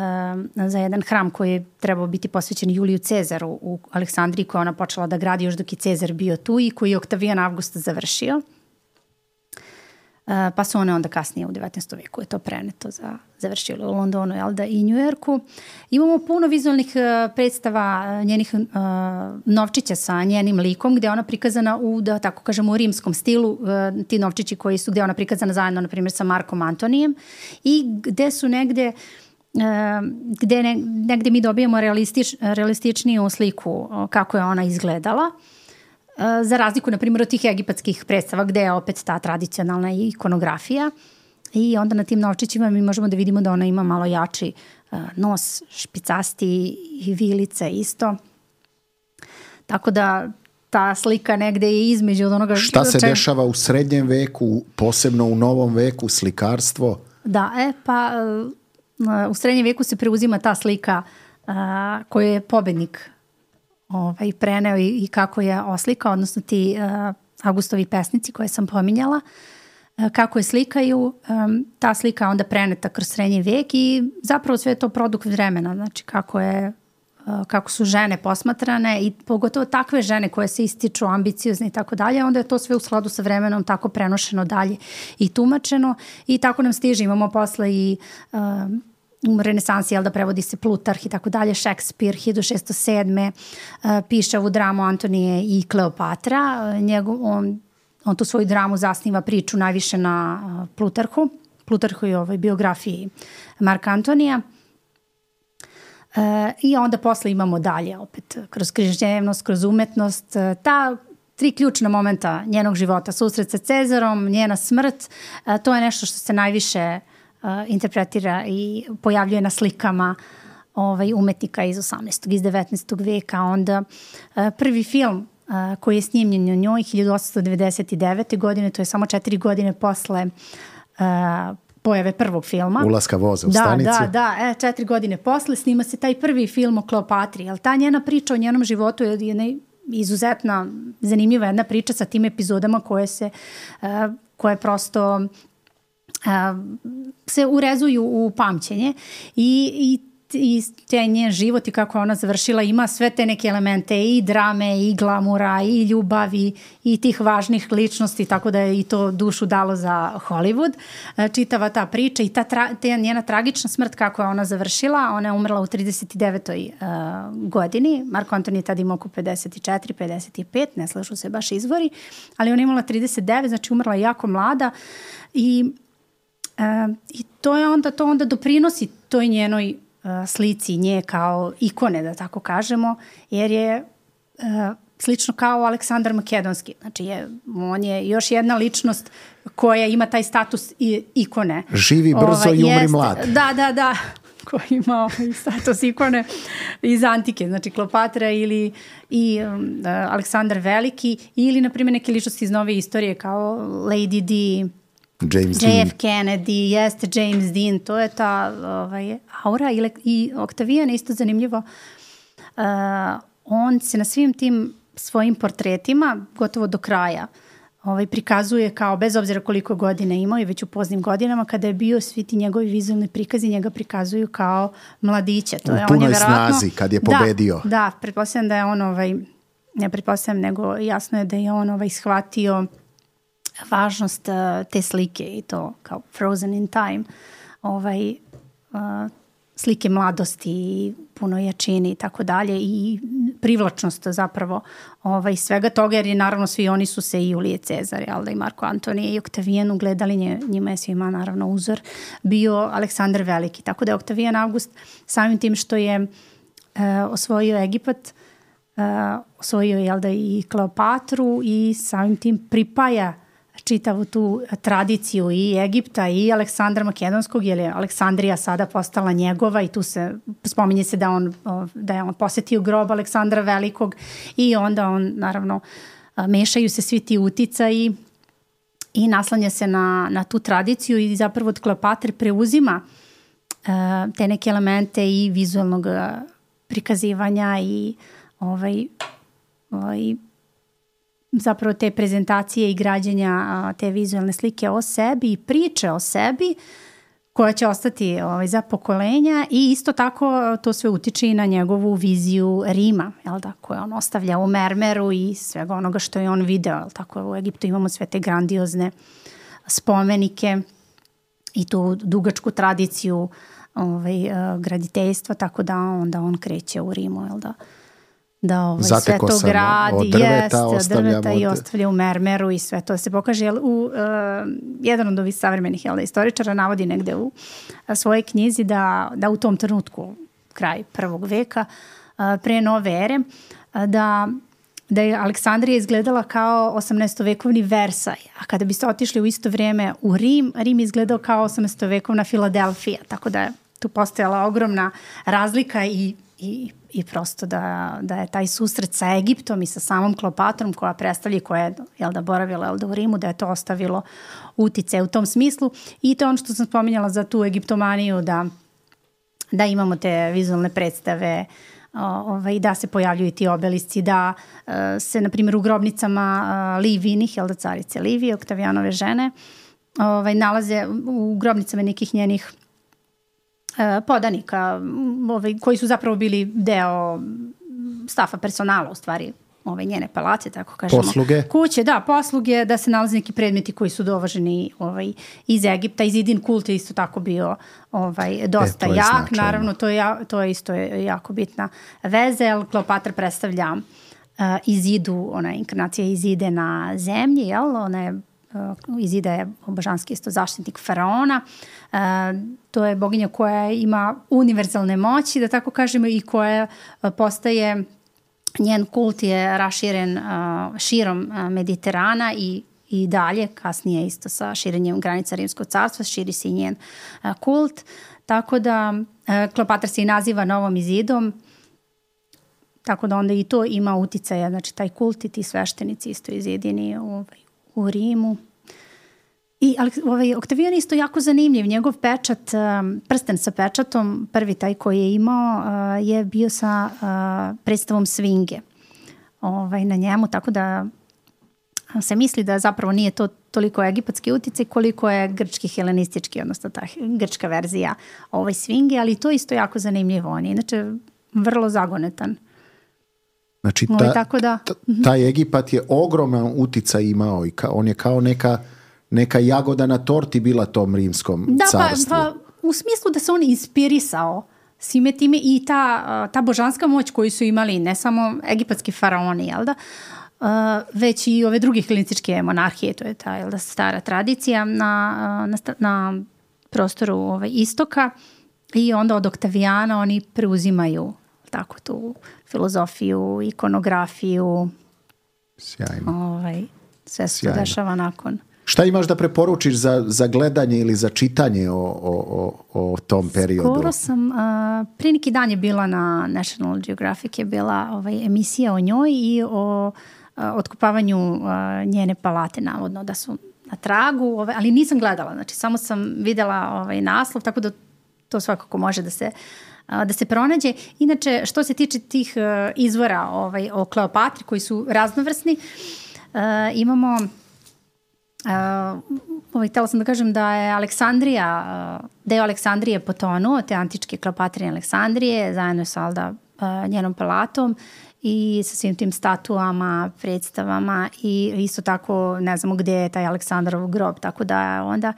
za jedan hram koji je trebao biti posvećen Juliju Cezaru u Aleksandriji, koja ona počela da gradi još dok je Cezar bio tu i koji je Oktavijan Avgust završio. Uh, pa su one onda kasnije u devetnaestom veku je to preneto za završilo u Londonu, jel da, i Njujorku. Imamo puno vizualnih uh, predstava njenih uh, novčića sa njenim likom, gde je ona prikazana u, da tako kažemo, u rimskom stilu, uh, ti novčići koji su, gde je ona prikazana zajedno, na primjer, sa Markom Antonijem i gde su negde Uh, gde ne, negde mi dobijemo realistič, realističniju sliku uh, kako je ona izgledala. Za razliku, na primjer, od tih egipatskih predstava gde je opet ta tradicionalna ikonografija i onda na tim novčićima mi možemo da vidimo da ona ima malo jači uh, nos, špicasti i vilice isto. Tako da ta slika negde je između od onoga... Šta se čem... dešava u srednjem veku, posebno u novom veku, slikarstvo? Da, e, pa uh, u srednjem veku se preuzima ta slika uh, koju je pobednik ovaj, preneo i, i kako je oslika, odnosno ti uh, Augustovi pesnici koje sam pominjala, uh, kako je slikaju, um, ta slika onda preneta kroz srednji vek i zapravo sve je to produkt vremena, znači kako je uh, kako su žene posmatrane i pogotovo takve žene koje se ističu ambiciozne i tako dalje, onda je to sve u skladu sa vremenom tako prenošeno dalje i tumačeno i tako nam stiže. Imamo posle i uh, u renesansi, jel da, prevodi se Plutarh i tako dalje, Šekspir hiljadu šesto sedme uh, piše ovu dramu Antonije i Kleopatra. Uh, njegov, on, on tu svoju dramu zasniva priču najviše na uh, Plutarhu, Plutarhu i ovoj biografiji Marka Antonija. Uh, I onda posle imamo dalje opet kroz književnost, kroz umetnost, uh, ta tri ključna momenta njenog života, susret sa Cezarom, njena smrt, uh, to je nešto što se najviše Uh, interpretira i pojavljuje na slikama ovaj, umetnika iz osamnaestog. iz devetnaestog veka. Onda uh, prvi film uh, koji je snimljen o njoj hiljadu osamsto devedeset devete. godine, to je samo četiri godine posle uh, pojave prvog filma. Ulaska voza u da, stanicu. Da, da, e, četiri godine posle snima se taj prvi film o Kleopatri. Jel, ta njena priča o njenom životu je jedna izuzetna, zanimljiva jedna priča sa tim epizodama koje se, uh, koje prosto Uh, se urezuju u pamćenje i, i, i te njen život i kako ona završila ima sve te neke elemente i drame i glamura i ljubavi i tih važnih ličnosti, tako da je i to dušu dalo za Hollywood. Uh, čitava ta priča i ta, tra, ta njena tragična smrt kako je ona završila, ona je umrla u trideset devetoj Uh, godini, Marko Antonije tada ima oko pedeset četiri pedeset pet, ne slažu se baš izvori, ali ona je imala trideset devet, znači umrla je jako mlada i Uh, i to je onda, to onda doprinosi toj njenoj uh, slici nje kao ikone, da tako kažemo, jer je uh, slično kao Aleksandar Makedonski. Znači, je, on je još jedna ličnost koja ima taj status i, ikone. Živi brzo ovaj, i umri jest, mlad. Da, da, da. Koji ima ovaj status ikone iz antike. Znači, Kleopatra ili i um, Aleksandar Veliki ili, na primjer, neke ličnosti iz nove istorije kao Lady Di, James J F Dean. Kennedy, jeste James Dean, to je ta ovaj, aura i, i Oktavijan, isto zanimljivo. Uh, on se na svim tim svojim portretima, gotovo do kraja, ovaj, prikazuje kao, bez obzira koliko godina imao i već u poznim godinama, kada je bio, svi ti njegovi vizualni prikazi njega prikazuju kao mladića. To u je, punoj on je verovatno, snazi, kad je pobedio. Da, da, pretpostavljam da je on, ovaj, ne pretpostavljam, nego jasno je da je on ovaj, shvatio važnost uh, te slike i to kao Frozen in Time, ovaj, uh, slike mladosti, puno jačini i tako dalje i privlačnost zapravo ovaj, svega toga, jer je naravno svi oni su se i Julije Cezar, jel da, i Marko Antonije i Oktavijan ugledali, nje, njima je svima naravno uzor bio Aleksandar Veliki, tako da je Oktavijan August samim tim što je uh, osvojio Egipat, uh, osvojio jel da, i Kleopatru i samim tim pripaja čitavu tu tradiciju i Egipta i Aleksandra Makedonskog, jer je Aleksandrija sada postala njegova i tu se spominje se da, on, da je on posetio grob Aleksandra Velikog i onda on naravno mešaju se svi ti uticaji i naslanja se na, na tu tradiciju i zapravo od Kleopatre preuzima uh, te neke elemente i vizualnog prikazivanja i ovaj, ovaj zapravo te prezentacije i građenja a, te vizualne slike o sebi i priče o sebi koja će ostati ovaj, za pokolenja i isto tako to sve utiče i na njegovu viziju Rima, jel da, koju on ostavlja u mermeru i svega onoga što je on video, jel tako, u Egiptu imamo sve te grandiozne spomenike i tu dugačku tradiciju ovaj, graditeljstva, tako da onda on kreće u Rimu, jel da, da ovaj, sve to gradi, od drveta, jest, od drveta od... i ostavlja u mermeru i sve to se pokaže. Jel, u, uh, jedan od ovih savremenih jel, istoričara navodi negde u uh, svojoj knjizi da, da u tom trenutku, kraj prvog veka, uh, pre nove ere, uh, da, da je Aleksandrija izgledala kao osamnaestovekovni Versaj, a kada biste otišli u isto vrijeme u Rim, Rim izgledao kao osamnaestovekovna Filadelfija, tako da je tu postojala ogromna razlika i, i i prosto da, da je taj susret sa Egiptom i sa samom Kleopatrom koja predstavlja, koja je jel da, boravila jel da, u Rimu, da je to ostavilo utice u tom smislu i to je ono što sam spominjala za tu egiptomaniju, da, da imamo te vizualne predstave, ovaj, da se pojavljuju ti obelisci, da uh, se na primjer u grobnicama uh, Livinih, jel da, carice Livije, Oktavijanove žene, ovaj, nalaze u grobnicama nekih njenih podanika ovaj, koji su zapravo bili deo stafa personala, u stvari ove njene palace, tako kažemo. Posluge. Kuće, da, posluge, da se nalaze neki predmeti koji su dovaženi ovaj, iz Egipta. Izidin kult je isto tako bio ovaj, dosta e, jak. Značajno. Naravno, to je, to je isto jako bitna veza, jer Kleopatra predstavlja uh, Izidu, ona inkarnacija Izide na zemlji, jel? Ona je Izida je božanski isto zaštitnik faraona. E, to je boginja koja ima univerzalne moći, da tako kažemo, i koja postaje, njen kult je raširen uh, širom uh, Mediterana i, i dalje, kasnije isto sa širenjem granica Rimskog carstva, širi se i njen uh, kult. Tako da uh, Kleopatra se i naziva novom Izidom, tako da onda i to ima uticaja, znači taj kult i ti sveštenici isto izidini ovaj, u Rimu. I ovaj, Oktavijan isto jako zanimljiv. Njegov pečat, prsten sa pečatom, prvi taj koji je imao, je bio sa predstavom svinge ovaj, na njemu, tako da se misli da zapravo nije to toliko egipatski uticaj koliko je grčki helenistički, odnosno ta grčka verzija ovaj svinge, ali to isto jako zanimljivo. On je inače vrlo zagonetan. Znači, ta, ovaj, tako da, ta, taj Egipat je ogroman uticaj imao i ka, on je kao neka, neka jagoda na torti bila tom rimskom da, carstvu. Pa, pa, u smislu da se on inspirisao svime time i ta, ta božanska moć koju su imali ne samo egipatski faraoni, jel da, uh, već i ove druge helenističke monarhije, to je ta jel da, stara tradicija na, na, na prostoru ovaj, istoka i onda od Oktavijana oni preuzimaju tako tu filozofiju, ikonografiju. Sjajno. Ovaj, sve se to dešava nakon. Šta imaš da preporučiš za, za gledanje ili za čitanje o, o, o, o tom periodu? Skoro sam, uh, prije neki dan je bila na National Geographic je bila ovaj, emisija o njoj i o uh, otkopavanju uh, njene palate, navodno da su na tragu, ovaj, ali nisam gledala, znači samo sam videla ovaj, naslov, tako da to svakako može da se da se pronađe. Inače, što se tiče tih uh, izvora ovaj, o Kleopatri koji su raznovrsni, uh, imamo uh, ovaj, htjela sam da kažem da je Aleksandrija, uh, deo Aleksandrije potonuo, te antičke Kleopatrine Aleksandrije, zajedno sa Alda uh, njenom palatom i sa svim tim statuama, predstavama i isto tako ne znamo gdje je taj Aleksandrov grob, tako da onda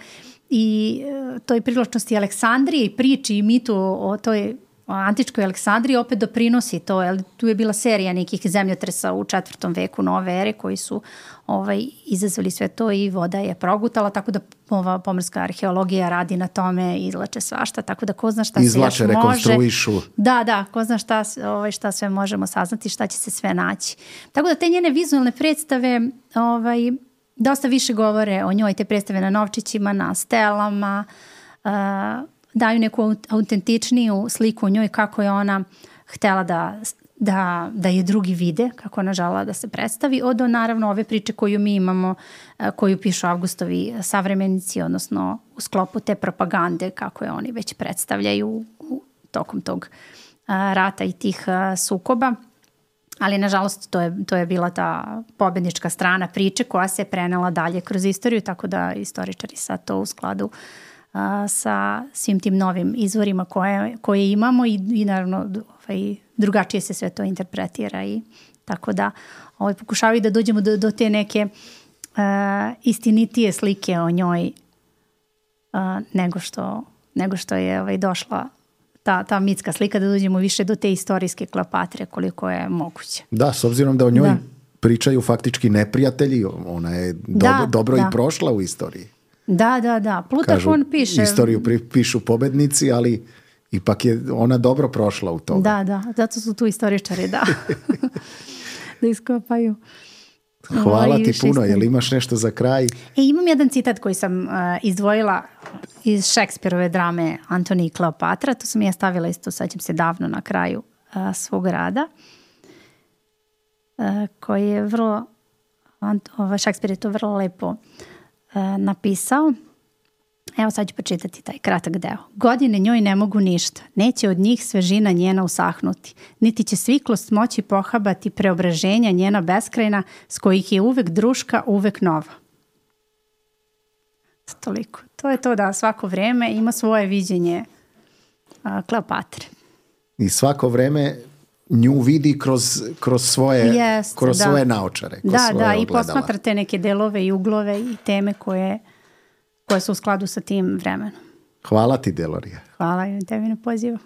i toj privlačnosti Aleksandrije i priči i mitu o toj antičkoj Aleksandriji opet doprinosi to, jer tu je bila serija nekih zemljotresa u četvrtom veku nove ere koji su ovaj, izazvali sve to i voda je progutala, tako da ova pomorska arheologija radi na tome, izlače svašta, tako da ko zna šta izlače, se još može. rekonstruišu. Da, da, ko zna šta, ovaj, šta sve možemo saznati, šta će se sve naći. Tako da te njene vizualne predstave ovaj, dosta više govore o njoj, te predstave na novčićima, na stelama, uh, daju neku autentičniju sliku o njoj kako je ona htjela da, da, da je drugi vide, kako ona žela da se predstavi, od naravno ove priče koju mi imamo, koju pišu Avgustovi savremenici, odnosno u sklopu te propagande kako je oni već predstavljaju u, u tokom tog a, rata i tih a, sukoba. Ali nažalost to je, to je bila ta pobednička strana priče koja se prenela dalje kroz istoriju, tako da istoričari sad to u skladu a, sa svim tim novim izvorima koje, koje imamo i, i naravno ovaj, drugačije se sve to interpretira i tako da ovaj, pokušavaju da dođemo do, do te neke a, istinitije slike o njoj a, nego, što, nego što je ovaj, došla ta, ta mitska slika, da dođemo više do te istorijske Kleopatre koliko je moguće. Da, s obzirom da o njoj da. pričaju faktički neprijatelji, ona je do, da, dobro da. i prošla u istoriji. Da, da, da. Plutarh Kažu, on piše. Istoriju pri, pišu pobednici, ali ipak je ona dobro prošla u tome. Da, da. Zato su tu istoričari, da. da iskopaju. Hvala I ti puno. šestim. Jel imaš nešto za kraj? E, imam jedan citat koji sam uh, izdvojila iz Šekspirove drame Antonij i Kleopatra. To sam ja stavila isto, sad ćem se davno na kraju uh, svog rada. Uh, koji je vrlo, ovaj Šekspir je to vrlo lepo uh, napisao. Evo sad ću počitati taj kratak deo. Godine njoj ne mogu ništa. Neće od njih svežina njena usahnuti. Niti će sviklost moći pohabati preobraženja njena beskrajna, s kojih je uvek druška, uvek nova. Toliko. To je to da svako vreme ima svoje viđenje a, Kleopatre. I svako vreme nju vidi kroz, kroz svoje, Jest, kroz da. svoje naočare. Kroz Da, svoje da, i ogledala. posmatrate neke delove i uglove i teme koje, koje su u skladu sa tim vremenom. Hvala ti, Delorija. Hvala i tebi na pozivu.